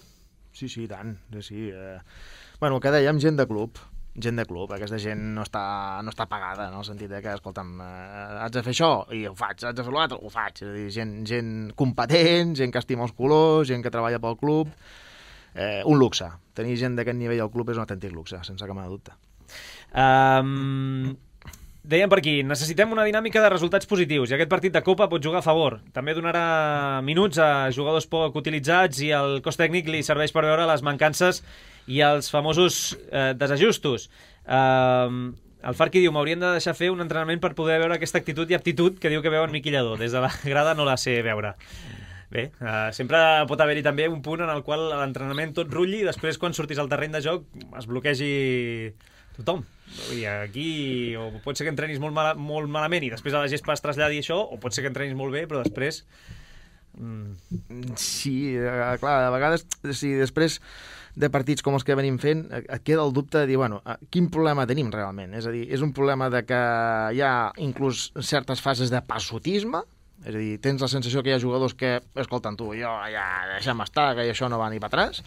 Sí, i tant. Sí. Bueno, el que dèiem, gent de club, aquesta gent no està pagada, no? En el sentit que, escolta'm, haig de fer això i ho faig, haig de fer l'altre, ho faig. És a dir, gent competent, gent que estima els colors, gent que treballa pel club. Un luxe. Tenir gent d'aquest nivell al club és un autèntic luxe, sense cap mena de dubte. Dèiem per aquí, necessitem una dinàmica de resultats positius i aquest partit de Copa pot jugar a favor. També donarà minuts a jugadors poc utilitzats i el cos tècnic li serveix per veure les mancances i els famosos desajustos. El Farqui diu, m'haurien de deixar fer un entrenament per poder veure aquesta actitud i aptitud que diu que veu en Miqui Lladó. Des de la grada no la sé veure. Bé, sempre pot haver-hi també un punt en el qual l'entrenament tot rulli i després quan surtis al terreny de joc es bloquegi tothom. I aquí o pot ser que entrenis molt malament i després a la gespa es traslladi això, o pot ser que entrenis molt bé però després... Sí, clar, a vegades si després de partits com els que venim fent et queda el dubte de dir, bueno, quin problema tenim realment? És a dir, és un problema de que hi ha inclús certes fases de passotisme, És a dir, tens la sensació que hi ha jugadors que, escolta'm tu, jo ja deixa'm estar, que això no va ni per atràs,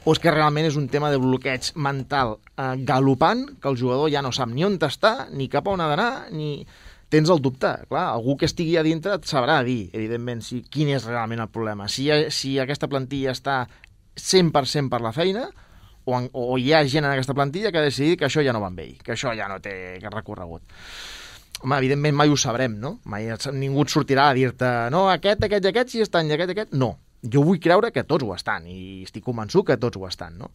o és que realment és un tema de bloqueig mental galopant, que el jugador ja no sap ni on està, ni cap a on ha d'anar, ni... Tens el dubte. Clar, algú que estigui a dintre et sabrà dir, evidentment, quin és realment el problema. Si aquesta plantilla està 100% per la feina, o hi ha gent en aquesta plantilla que ha decidit que això ja no va amb ell, que això ja no té recorregut. Home, evidentment mai ho sabrem, no? Mai ningú et sortirà a dir-te no, aquest sí estan, i aquest... No, jo vull creure que tots ho estan, i estic convençut que tots ho estan, no?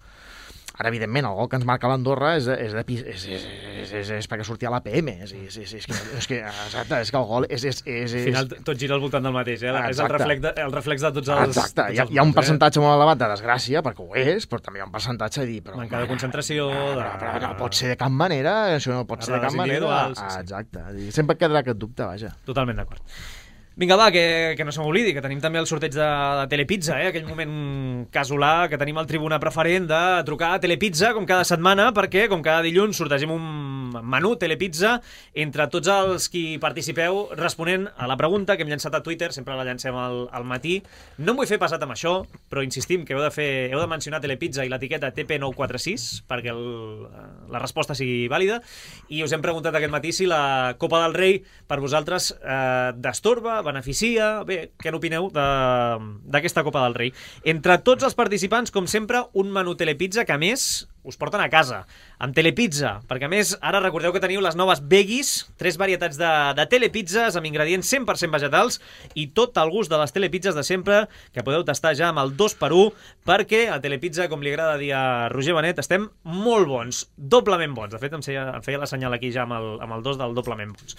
Ara, evidentment, el gol que ens marca l'Andorra és perquè sortia a l'APM. És que el gol és... Al final tot gira al voltant del mateix, eh? És el reflex de tots els... Exacte, hi ha un percentatge molt elevat de desgràcia, perquè ho és, però també hi ha un percentatge de dir... Manca de concentració... Però no pot ser de cap manera, això no pot ser de cap manera. Exacte, sempre quedarà aquest dubte, vaja. Totalment d'acord. Vinga, va, que no se m'oblidi, que tenim també el sorteig de Telepizza, aquell moment casolà que tenim al Tribuna Preferent de trucar a Telepizza com cada setmana, perquè com cada dilluns sortegem un menú Telepizza entre tots els qui participeu responent a la pregunta que hem llançat a Twitter, sempre la llancem al matí. No em vull fer passat amb això, però insistim que heu de mencionar Telepizza i l'etiqueta TP946 perquè la resposta sigui vàlida, i us hem preguntat aquest matí si la Copa del Rei per vosaltres destorba, beneficia... Bé, què n'opineu d'aquesta Copa del Rei? Entre tots els participants, com sempre, un menú Telepizza que, a més, us porten a casa, amb Telepizza, perquè a més ara recordeu que teniu les noves veggies, 3 varietats de telepizzas amb ingredients 100% vegetals i tot el gust de les telepizzas de sempre, que podeu tastar ja amb el 2x1, perquè a Telepizza, com li agrada dir a Roger Benet, estem molt bons, doblement bons. De fet, em feia la senyal aquí ja amb el 2 del doblement bons.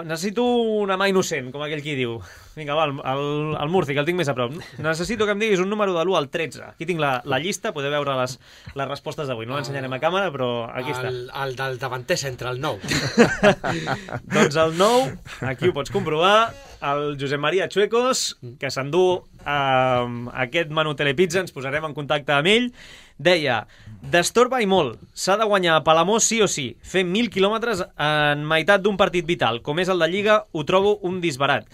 Necessito una mà innocent, com aquell qui diu. Vinga, va, el Murci, que el tinc més a prop. Necessito que em diguis un número de l'1 al 13. Aquí tinc la llista, podeu veure les respostes d'avui. No l'ensenyarem a càmera, però aquí està. El del davanter centre, el 9. Doncs el 9, aquí ho pots comprovar, el Josep Maria Chuecos, que s'endú aquest menú Telepizza, ens posarem en contacte amb ell. Deia, destorba i molt, s'ha de guanyar a Palamós sí o sí, fer 1.000 quilòmetres en meitat d'un partit vital, com és el de Lliga, ho trobo un disbarat.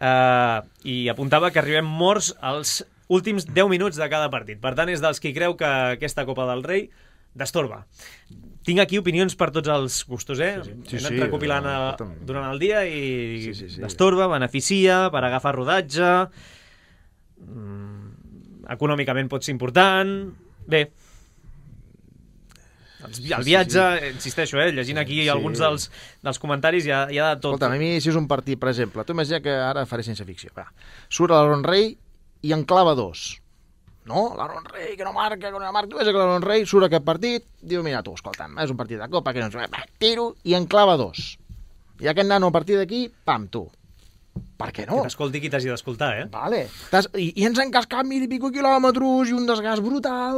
I apuntava que arribem morts als últims 10 minuts de cada partit. Per tant, és dels qui creu que aquesta Copa del Rei destorba. Tinc aquí opinions per tots els gustos, eh? Sí, Hem anat recopilant durant el dia i destorba, beneficia, per agafar rodatge, econòmicament pot ser important... Bé, el viatge, insisteixo, llegint aquí alguns dels comentaris hi ha de tot. Escolta, a mi si és un partit, per exemple, tu imagina que ara faré ciència ficció, surt l'Aaron Rey i en clava 2. No, l'Aaron Rey que no marca, tu veus que l'Aaron Rey surt aquest partit, diu, mira tu, escolta'm, és un partit de Copa, que no ens... tiro i en clava 2. I aquest nano a partir d'aquí, pam, tu. Per què no? Que t'escolti qui t'hagi d'escoltar, Vale. I ens han cascat 1.000 i pico quilòmetres i un desgast brutal,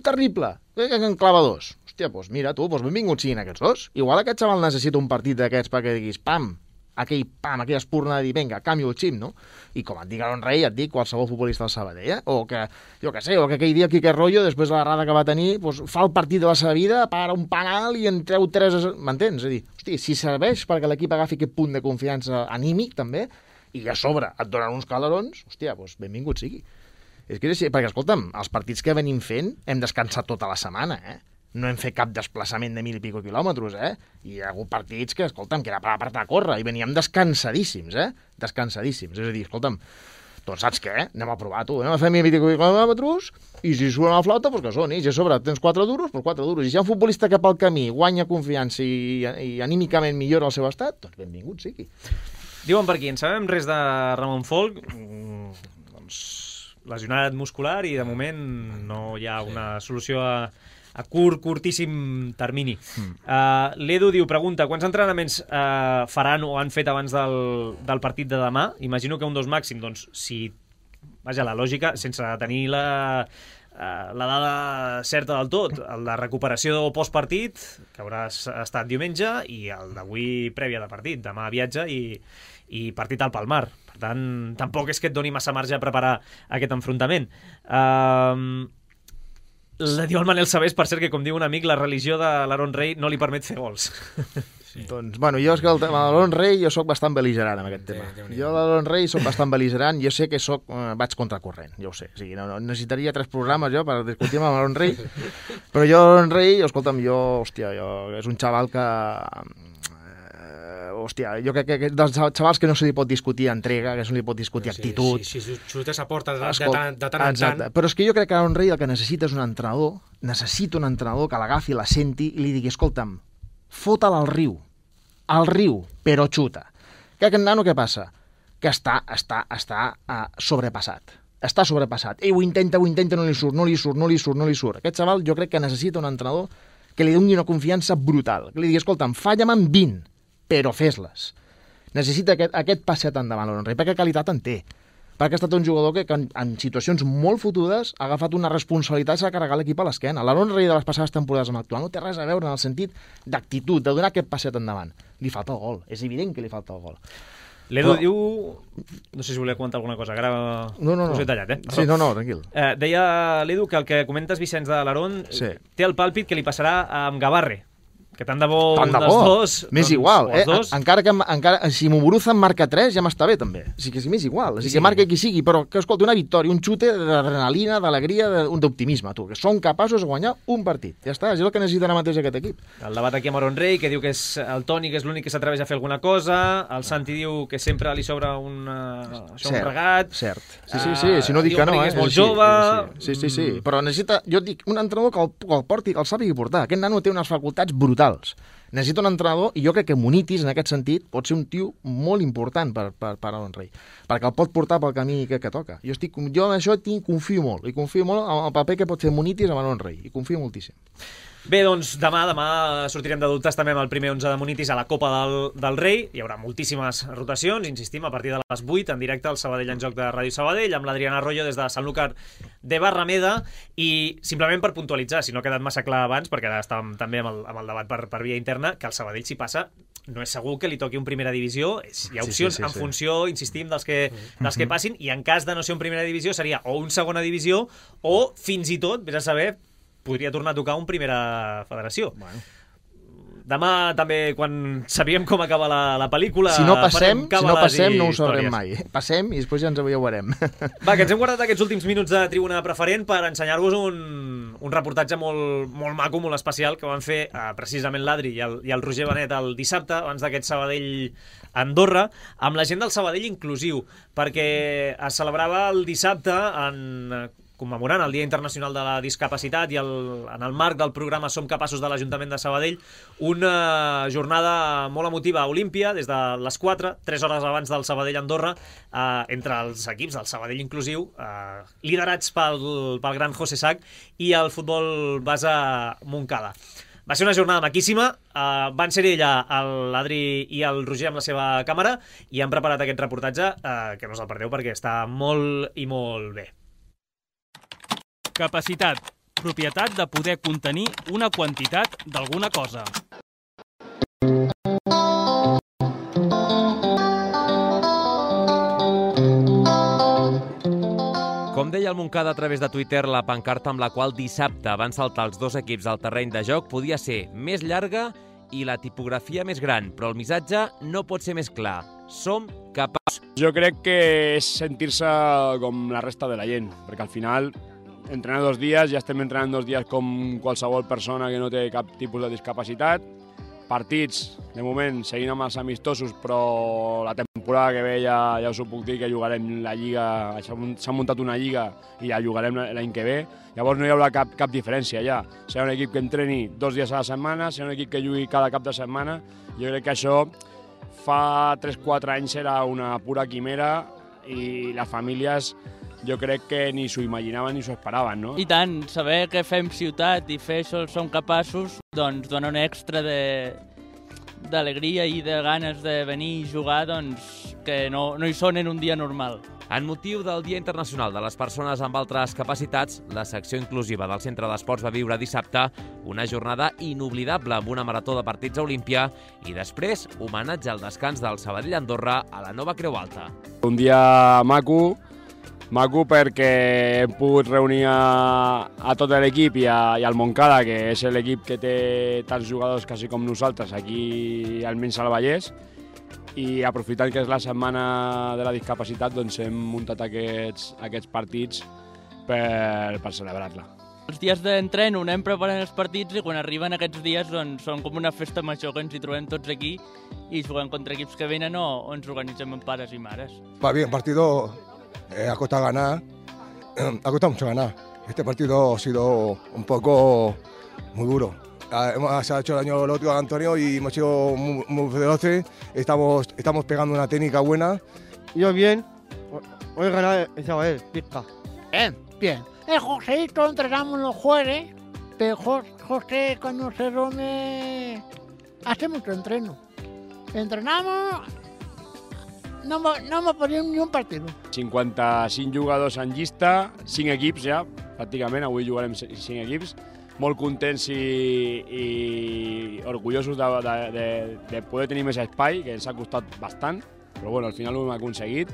terrible. Que en clava 2. Hòstia, doncs mira tu, benvinguts siguin aquests dos. Igual aquest xaval necessita un partit d'aquests perquè diguis, aquella espurna de dir, vinga, canvio el xip, no? I com et dic Aaron Rey, et dic qualsevol futbolista del Sabadell, O que, jo què sé, o que aquell dia Quique Rollo, després de l'errada que va tenir, fa el partit de la seva vida, para un penal i en treu 3... M'entens? És a dir, hosti, si serveix perquè l'equip agafi aquest punt de confiança anímic, també, i a sobre et donen uns calarons, hòstia, doncs benvingut sigui. És que és així, perquè, escolta'm, els partits que venim fent hem descansat tota la setmana, No hem fet cap desplaçament de 1.000 i pico quilòmetres, I hi ha hagut partits que, escolta'm, que era per apretar a córrer, i veníem descansadíssims, Descansadíssims. És a dir, escolta'm, doncs saps què? Anem a provar, tu. Anem a fer 1.000 i pico quilòmetres, i si suena la flauta, doncs que soni. I a sobre tens 4 duros, doncs 4 duros. I si hi ha un futbolista que pel camí guanya confiança i anímicament millora el seu estat, doncs benvingut sigui. Diuen per aquí, en sabem res de Ramon Folch, doncs lesionat muscular i de moment no hi ha una solució a curtíssim termini. L'Edu diu, pregunta, quants entrenaments faran o han fet abans del partit de demà? Imagino que un 2 màxim, doncs si... Vaja, la lògica, sense tenir la dada certa del tot, el de recuperació o postpartit, que haurà estat diumenge, i el d'avui prèvia de partit, demà viatge i partit al Palmar. Per tant, tampoc és que et doni massa marge a preparar aquest enfrontament. Diu el Manel Sabés, per cert, que com diu un amic, la religió de l'Aaron Rey no li permet fer gols. Doncs, bueno, jo és que amb l'Aaron Rey jo sóc bastant bel·ligerant amb aquest tema. Jo l'Aaron Rey sóc bastant bel·ligerant, jo sé que vaig contracorrent, jo ho sé. O sigui, no necessitaria 3 programes jo per discutir amb l'Aaron Rey, però jo l'Aaron Rey, escolta'm, és un xaval que... Hòstia, jo crec que dels xavals que no se li pot discutir entrega, que no se li pot discutir actitud... Si xutes a porta de tant en tant... Però és que jo crec que l'Aaron Rey el que necessita és un entrenador, que l'agafi, la senti i li digui, escolta'm, fota'l al riu, però xuta. Que aquest nano què passa? Que està sobrepassat. Està sobrepassat. Ho intenta, no li surt. Aquest xaval jo crec que necessita un entrenador que li doni una confiança brutal. Que li digui, escolta'm, falla'm en 20, però fes-les. Necessita aquest passet endavant, l'Aaron Rey, perquè qualitat en té. Perquè ha estat un jugador que en situacions molt fotudes ha agafat una responsabilitat i s'ha carregat l'equip a l'esquena. L'Aaron Rey de les passades temporades amb l'actual no té res a veure en el sentit d'actitud, de donar aquest passet endavant. Li falta el gol, és evident que li falta el gol. L'Edu diu... No sé si volia comentar alguna cosa, que ara us he tallat, Sí, no, tranquil. Deia l'Edu que el que comentes, Vicenç, de l'Aaron, té el pàlpit que li passarà amb Gavarre, que tant de bo un dels dos... M'és igual, encara si Muguruza em marca 3 ja m'està bé també, o sigui que m'és igual, o sigui que marca qui sigui, però que escolta, una victòria, un xute d'adrenalina, d'alegria, d'optimisme, tu, que són capaços de guanyar un partit, ja està, és el que necessita ara mateix aquest equip. El debat aquí amb Aaron Rey, que diu que és el Toni, que és l'únic que s'atreveix a fer alguna cosa, el Santi diu que sempre li sobra un regat... Cert, sí, si no dic que no, és molt jove... Sí, però necessita, jo dic, un entrenador que el porti, que el sàpigui portar, aquest nano té unes facultats brutals. Necessita un entrenador, i jo crec que Munitis, en aquest sentit, pot ser un tio molt important per Aaron Rey, perquè el pot portar pel camí que toca. Jo en això confio molt, i confio molt en el paper que pot fer Munitis amb Aaron Rey, i confio moltíssim. Bé, doncs demà sortirem de dubtes també amb el primer 11 de Munitis a la Copa del Rei. Hi haurà moltíssimes rotacions, insistim, a partir de les 8 en directe al Sabadell en Joc de Ràdio Sabadell, amb l'Adriana Arroyo des de Sanlúcar de Barrameda. I simplement per puntualitzar, si no ha quedat massa clar abans, perquè ara estàvem també amb el debat per via interna, que el Sabadell, si passa, no és segur que li toqui un primera divisió. Hi ha opcions en funció, insistim, dels que passin, i en cas de no ser un primera divisió seria o un segona divisió o fins i tot, vés a saber, podria tornar a tocar un primera federació. Bueno. Demà també, quan sabíem com acaba la pel·lícula... Si no passem no ho sabrem mai. Passem i després ja ens ho veurem. Va, que ens hem guardat aquests últims minuts de Tribuna Preferent per ensenyar-vos un reportatge molt maco, molt especial, que van fer precisament l'Adri i el Roger Benet el dissabte, abans d'aquest Sabadell-Andorra, amb la gent del Sabadell inclusiu, perquè es celebrava el dissabte commemorant el Dia Internacional de la Discapacitat i en el marc del programa Som Capaços de l'Ajuntament de Sabadell, una jornada molt emotiva a Olímpia, des de les 4, 3 hores abans del Sabadell-Andorra, entre els equips del Sabadell inclusiu, liderats pel gran José Sac, i el futbol base Montcada. Va ser una jornada maquíssima, van ser l'Adri i el Roger amb la seva càmera, i han preparat aquest reportatge, que no us el perdeu perquè està molt i molt bé. Capacitat, propietat de poder contenir una quantitat d'alguna cosa. Com deia el Montcada a través de Twitter, la pancarta amb la qual dissabte van saltar els dos equips al terreny de joc podia ser més llarga i la tipografia més gran, però el missatge no pot ser més clar. Som capaços. Jo crec que és sentir-se com la resta de la gent, perquè al final entrenar 2 dies, ja estem entrenant 2 dies com qualsevol persona que no té cap tipus de discapacitat. Partits, de moment, seguint amb els amistosos, però la temporada que ve ja us ho puc dir que jugarem la Lliga, s'ha muntat una Lliga i ja jugarem l'any que ve. Llavors no hi haurà cap diferència ja. Serà un equip que entreni 2 dies a la setmana, serà un equip que jugui cada cap de setmana. Jo crec que això fa 3-4 anys era una pura quimera i les famílies jo crec que ni s'ho imaginaven ni s'ho esperaven, no? I tant, saber que fem ciutat i fer això som capaços, doncs dona un extra d'alegria i de ganes de venir i jugar, doncs que no hi són en un dia normal. En motiu del Dia Internacional de les Persones amb Altres Capacitats, la secció inclusiva del Centre d'Esports va viure dissabte una jornada inoblidable amb una marató de partits a Olímpia i després homenatge al descans del Sabadell-Andorra a la Nova Creu Alta. Un dia maco, Maco perquè hem pogut reunir a tot l'equip i al Montcada, que és l'equip que té tants jugadors quasi com nosaltres aquí almenys al Vallès, i aprofitant que és la setmana de la discapacitat doncs hem muntat aquests partits per celebrar-la. Els dies d'entreno anem preparant els partits i quan arriben aquests dies doncs, són com una festa major que ens hi trobem tots aquí i juguem contra equips que venen o ens organitzem amb pares i mares. Va bien, partido ha costado ganar, ha costado mucho ganar. Este partido ha sido un poco muy duro. Se ha hecho daño el otro a Antonio y hemos sido muy veloces, estamos pegando una técnica buena. Yo bien, hoy ganar el Sabadell, pizca. Bien. El Joséito entrenamos los jueves, pero José cuando se reúne hace mucho entreno. Entrenamos, no hemos perdido ni un partido. 55 jugadors en llista, 5 equips ja, pràcticament, avui jugarem 5 equips. Molt contents i orgullosos de poder tenir més espai, que ens ha costat bastant, però bueno, al final ho hem aconseguit.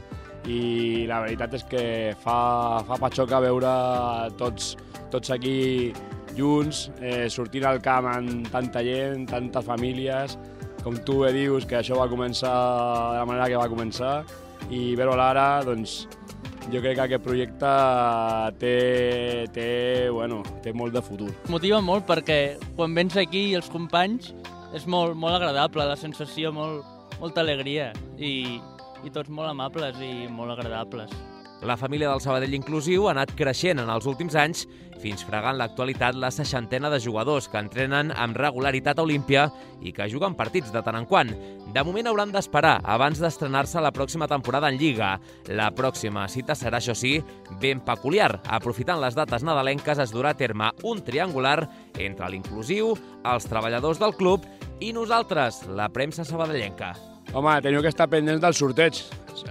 I la veritat és que fa patxoca veure tots aquí junts, sortint al camp amb tanta gent, tantes famílies, com tu bé dius, que això va començar de la manera que va començar, i veure-ho ara, doncs, jo crec que aquest projecte té molt de futur. Motiva molt perquè quan vens aquí els companys és molt agradable, la sensació, molta alegria i tots molt amables i molt agradables. La família del Sabadell Inclusiu ha anat creixent en els últims anys fins fregant l'actualitat la 60ena de jugadors que entrenen amb regularitat a Olímpia i que juguen partits de tant en quant. De moment hauran d'esperar abans d'estrenar-se la pròxima temporada en Lliga. La pròxima cita serà, això sí, ben peculiar. Aprofitant les dates nadalenques es durà a terme un triangular entre l'Inclusiu, els treballadors del club i nosaltres, la premsa sabadellenca. Home, teniu que estar pendents del sorteig,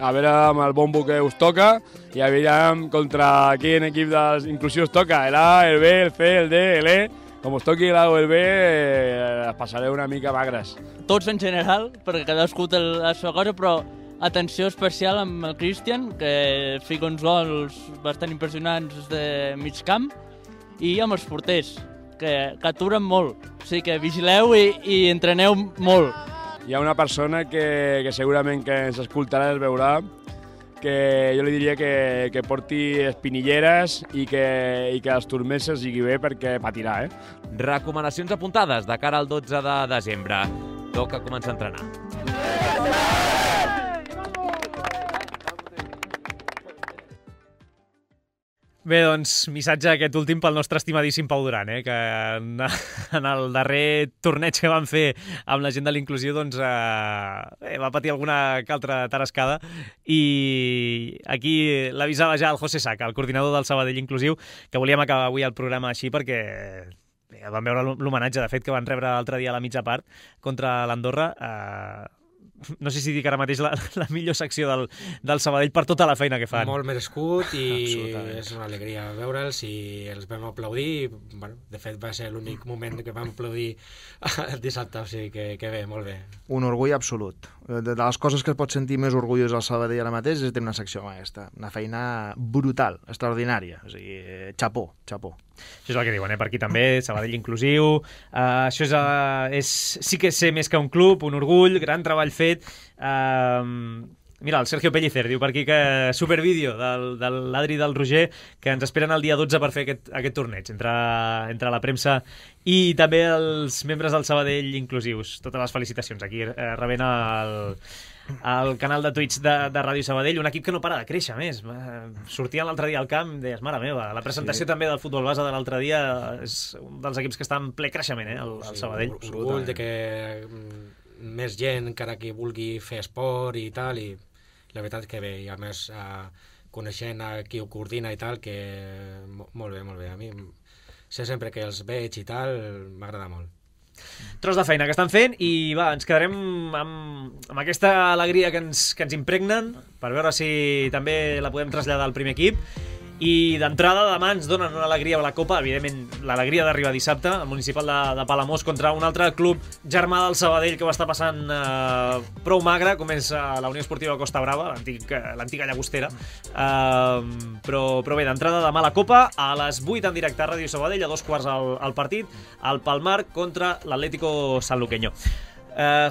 a veure amb el bombo que us toca i a veure contra quin equip inclusiu us toca, el A, el B, el C, el D, el E. Com us toqui l'A o el B, les passareu una mica magres. Tots en general, perquè cadascú té la seva cosa, però atenció especial amb el Cristian, que fica uns gols bastant impressionants de mig camp, i amb els porters, que aturen molt. O sigui que vigileu i entreneu molt. Hi ha una persona que segurament que ens escoltarà i es veurà, que jo li diria que porti espinilleres i que els turmers es lligui bé perquè patirà, Recomanacions apuntades de cara al 12 de desembre. Toca començar a entrenar. Bé, doncs, missatge aquest últim pel nostre estimadíssim Pau Duran, que en el darrer torneig que van fer amb la gent de l'Inclusiu doncs, va patir alguna que altra tarascada i aquí l'avisava ja el José Saca, el coordinador del Sabadell Inclusiu, que volíem acabar avui el programa així perquè vam veure l'homenatge, de fet, que van rebre l'altre dia a la mitja part contra l'Andorra. No sé si dic ara mateix la millor secció del Sabadell per tota la feina que fan. Molt merescut i és una alegria veure'ls i els vam aplaudir. Bueno, de fet, va ser l'únic moment que vam aplaudir el dissabte, o sigui que bé, molt bé. Un orgull absolut. De les coses que es pot sentir més orgullós al Sabadell ara mateix és tenir una secció com aquesta. Una feina brutal, extraordinària. O sigui, xapó. Això és el que diuen, per aquí també, Sabadell Inclusiu. Això sí que és ser més que un club, un orgull, gran treball fet. Mira, el Sergio Pellicer diu per aquí que supervídeo de l'Adri i del Roger, que ens esperen el dia 12 per fer aquest torneig entre la premsa i també els membres del Sabadell Inclusius. Totes les felicitacions aquí rebent al canal de Twitch de Ràdio Sabadell, un equip que no para de créixer més. Sortien l'altre dia al camp i deies, mare meva, la presentació també del futbol base de l'altre dia és un dels equips que està en ple creixement, el Sabadell. Orgull de que més gent encara que vulgui fer esport i tal, i la veritat que bé, i a més coneixent a qui ho coordina i tal, que molt bé. A mi sé sempre que els veig i tal, m'agrada molt. Tros de feina que estan fent i va, ens quedarem amb aquesta alegria que ens impregnen per veure si també la podem traslladar al primer equip I d'entrada demà ens donen una alegria a la Copa, evidentment l'alegria d'arribar dissabte, el municipal de Palamós contra un altre club germà del Sabadell que ho està passant prou magre, com és la Unió Esportiva Costa Brava, l'antiga Llagostera. Però bé, d'entrada demà la Copa, a les 8 en directe a Ràdio Sabadell, a 2:15 el partit, al Palmar contra l'Atlético Sanluqueño.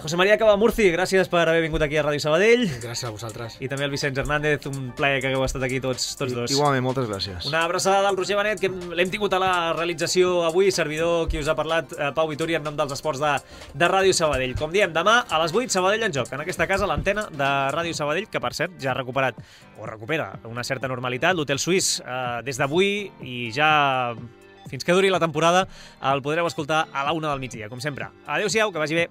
José María Cabamurci, gràcies per haver vingut aquí a Ràdio Sabadell. Gràcies a vosaltres. I també el Vicenç Hernández, un plaer que hagueu estat aquí tots dos. Igualment, moltes gràcies. Una abraçada del Roger Benet, que l'hem tingut a la realització avui, servidor qui us ha parlat, Pau Vituri, en nom dels esports de Ràdio Sabadell. Com diem, demà a les 8, Sabadell en joc. En aquesta casa, l'antena de Ràdio Sabadell, que per cert ja ha recuperat, o recupera, una certa normalitat. L'Hotel Suís, des d'avui i ja fins que duri la temporada, el podreu escoltar a la 1 del migdia, com sempre. Adéu-siau, que vagi bé.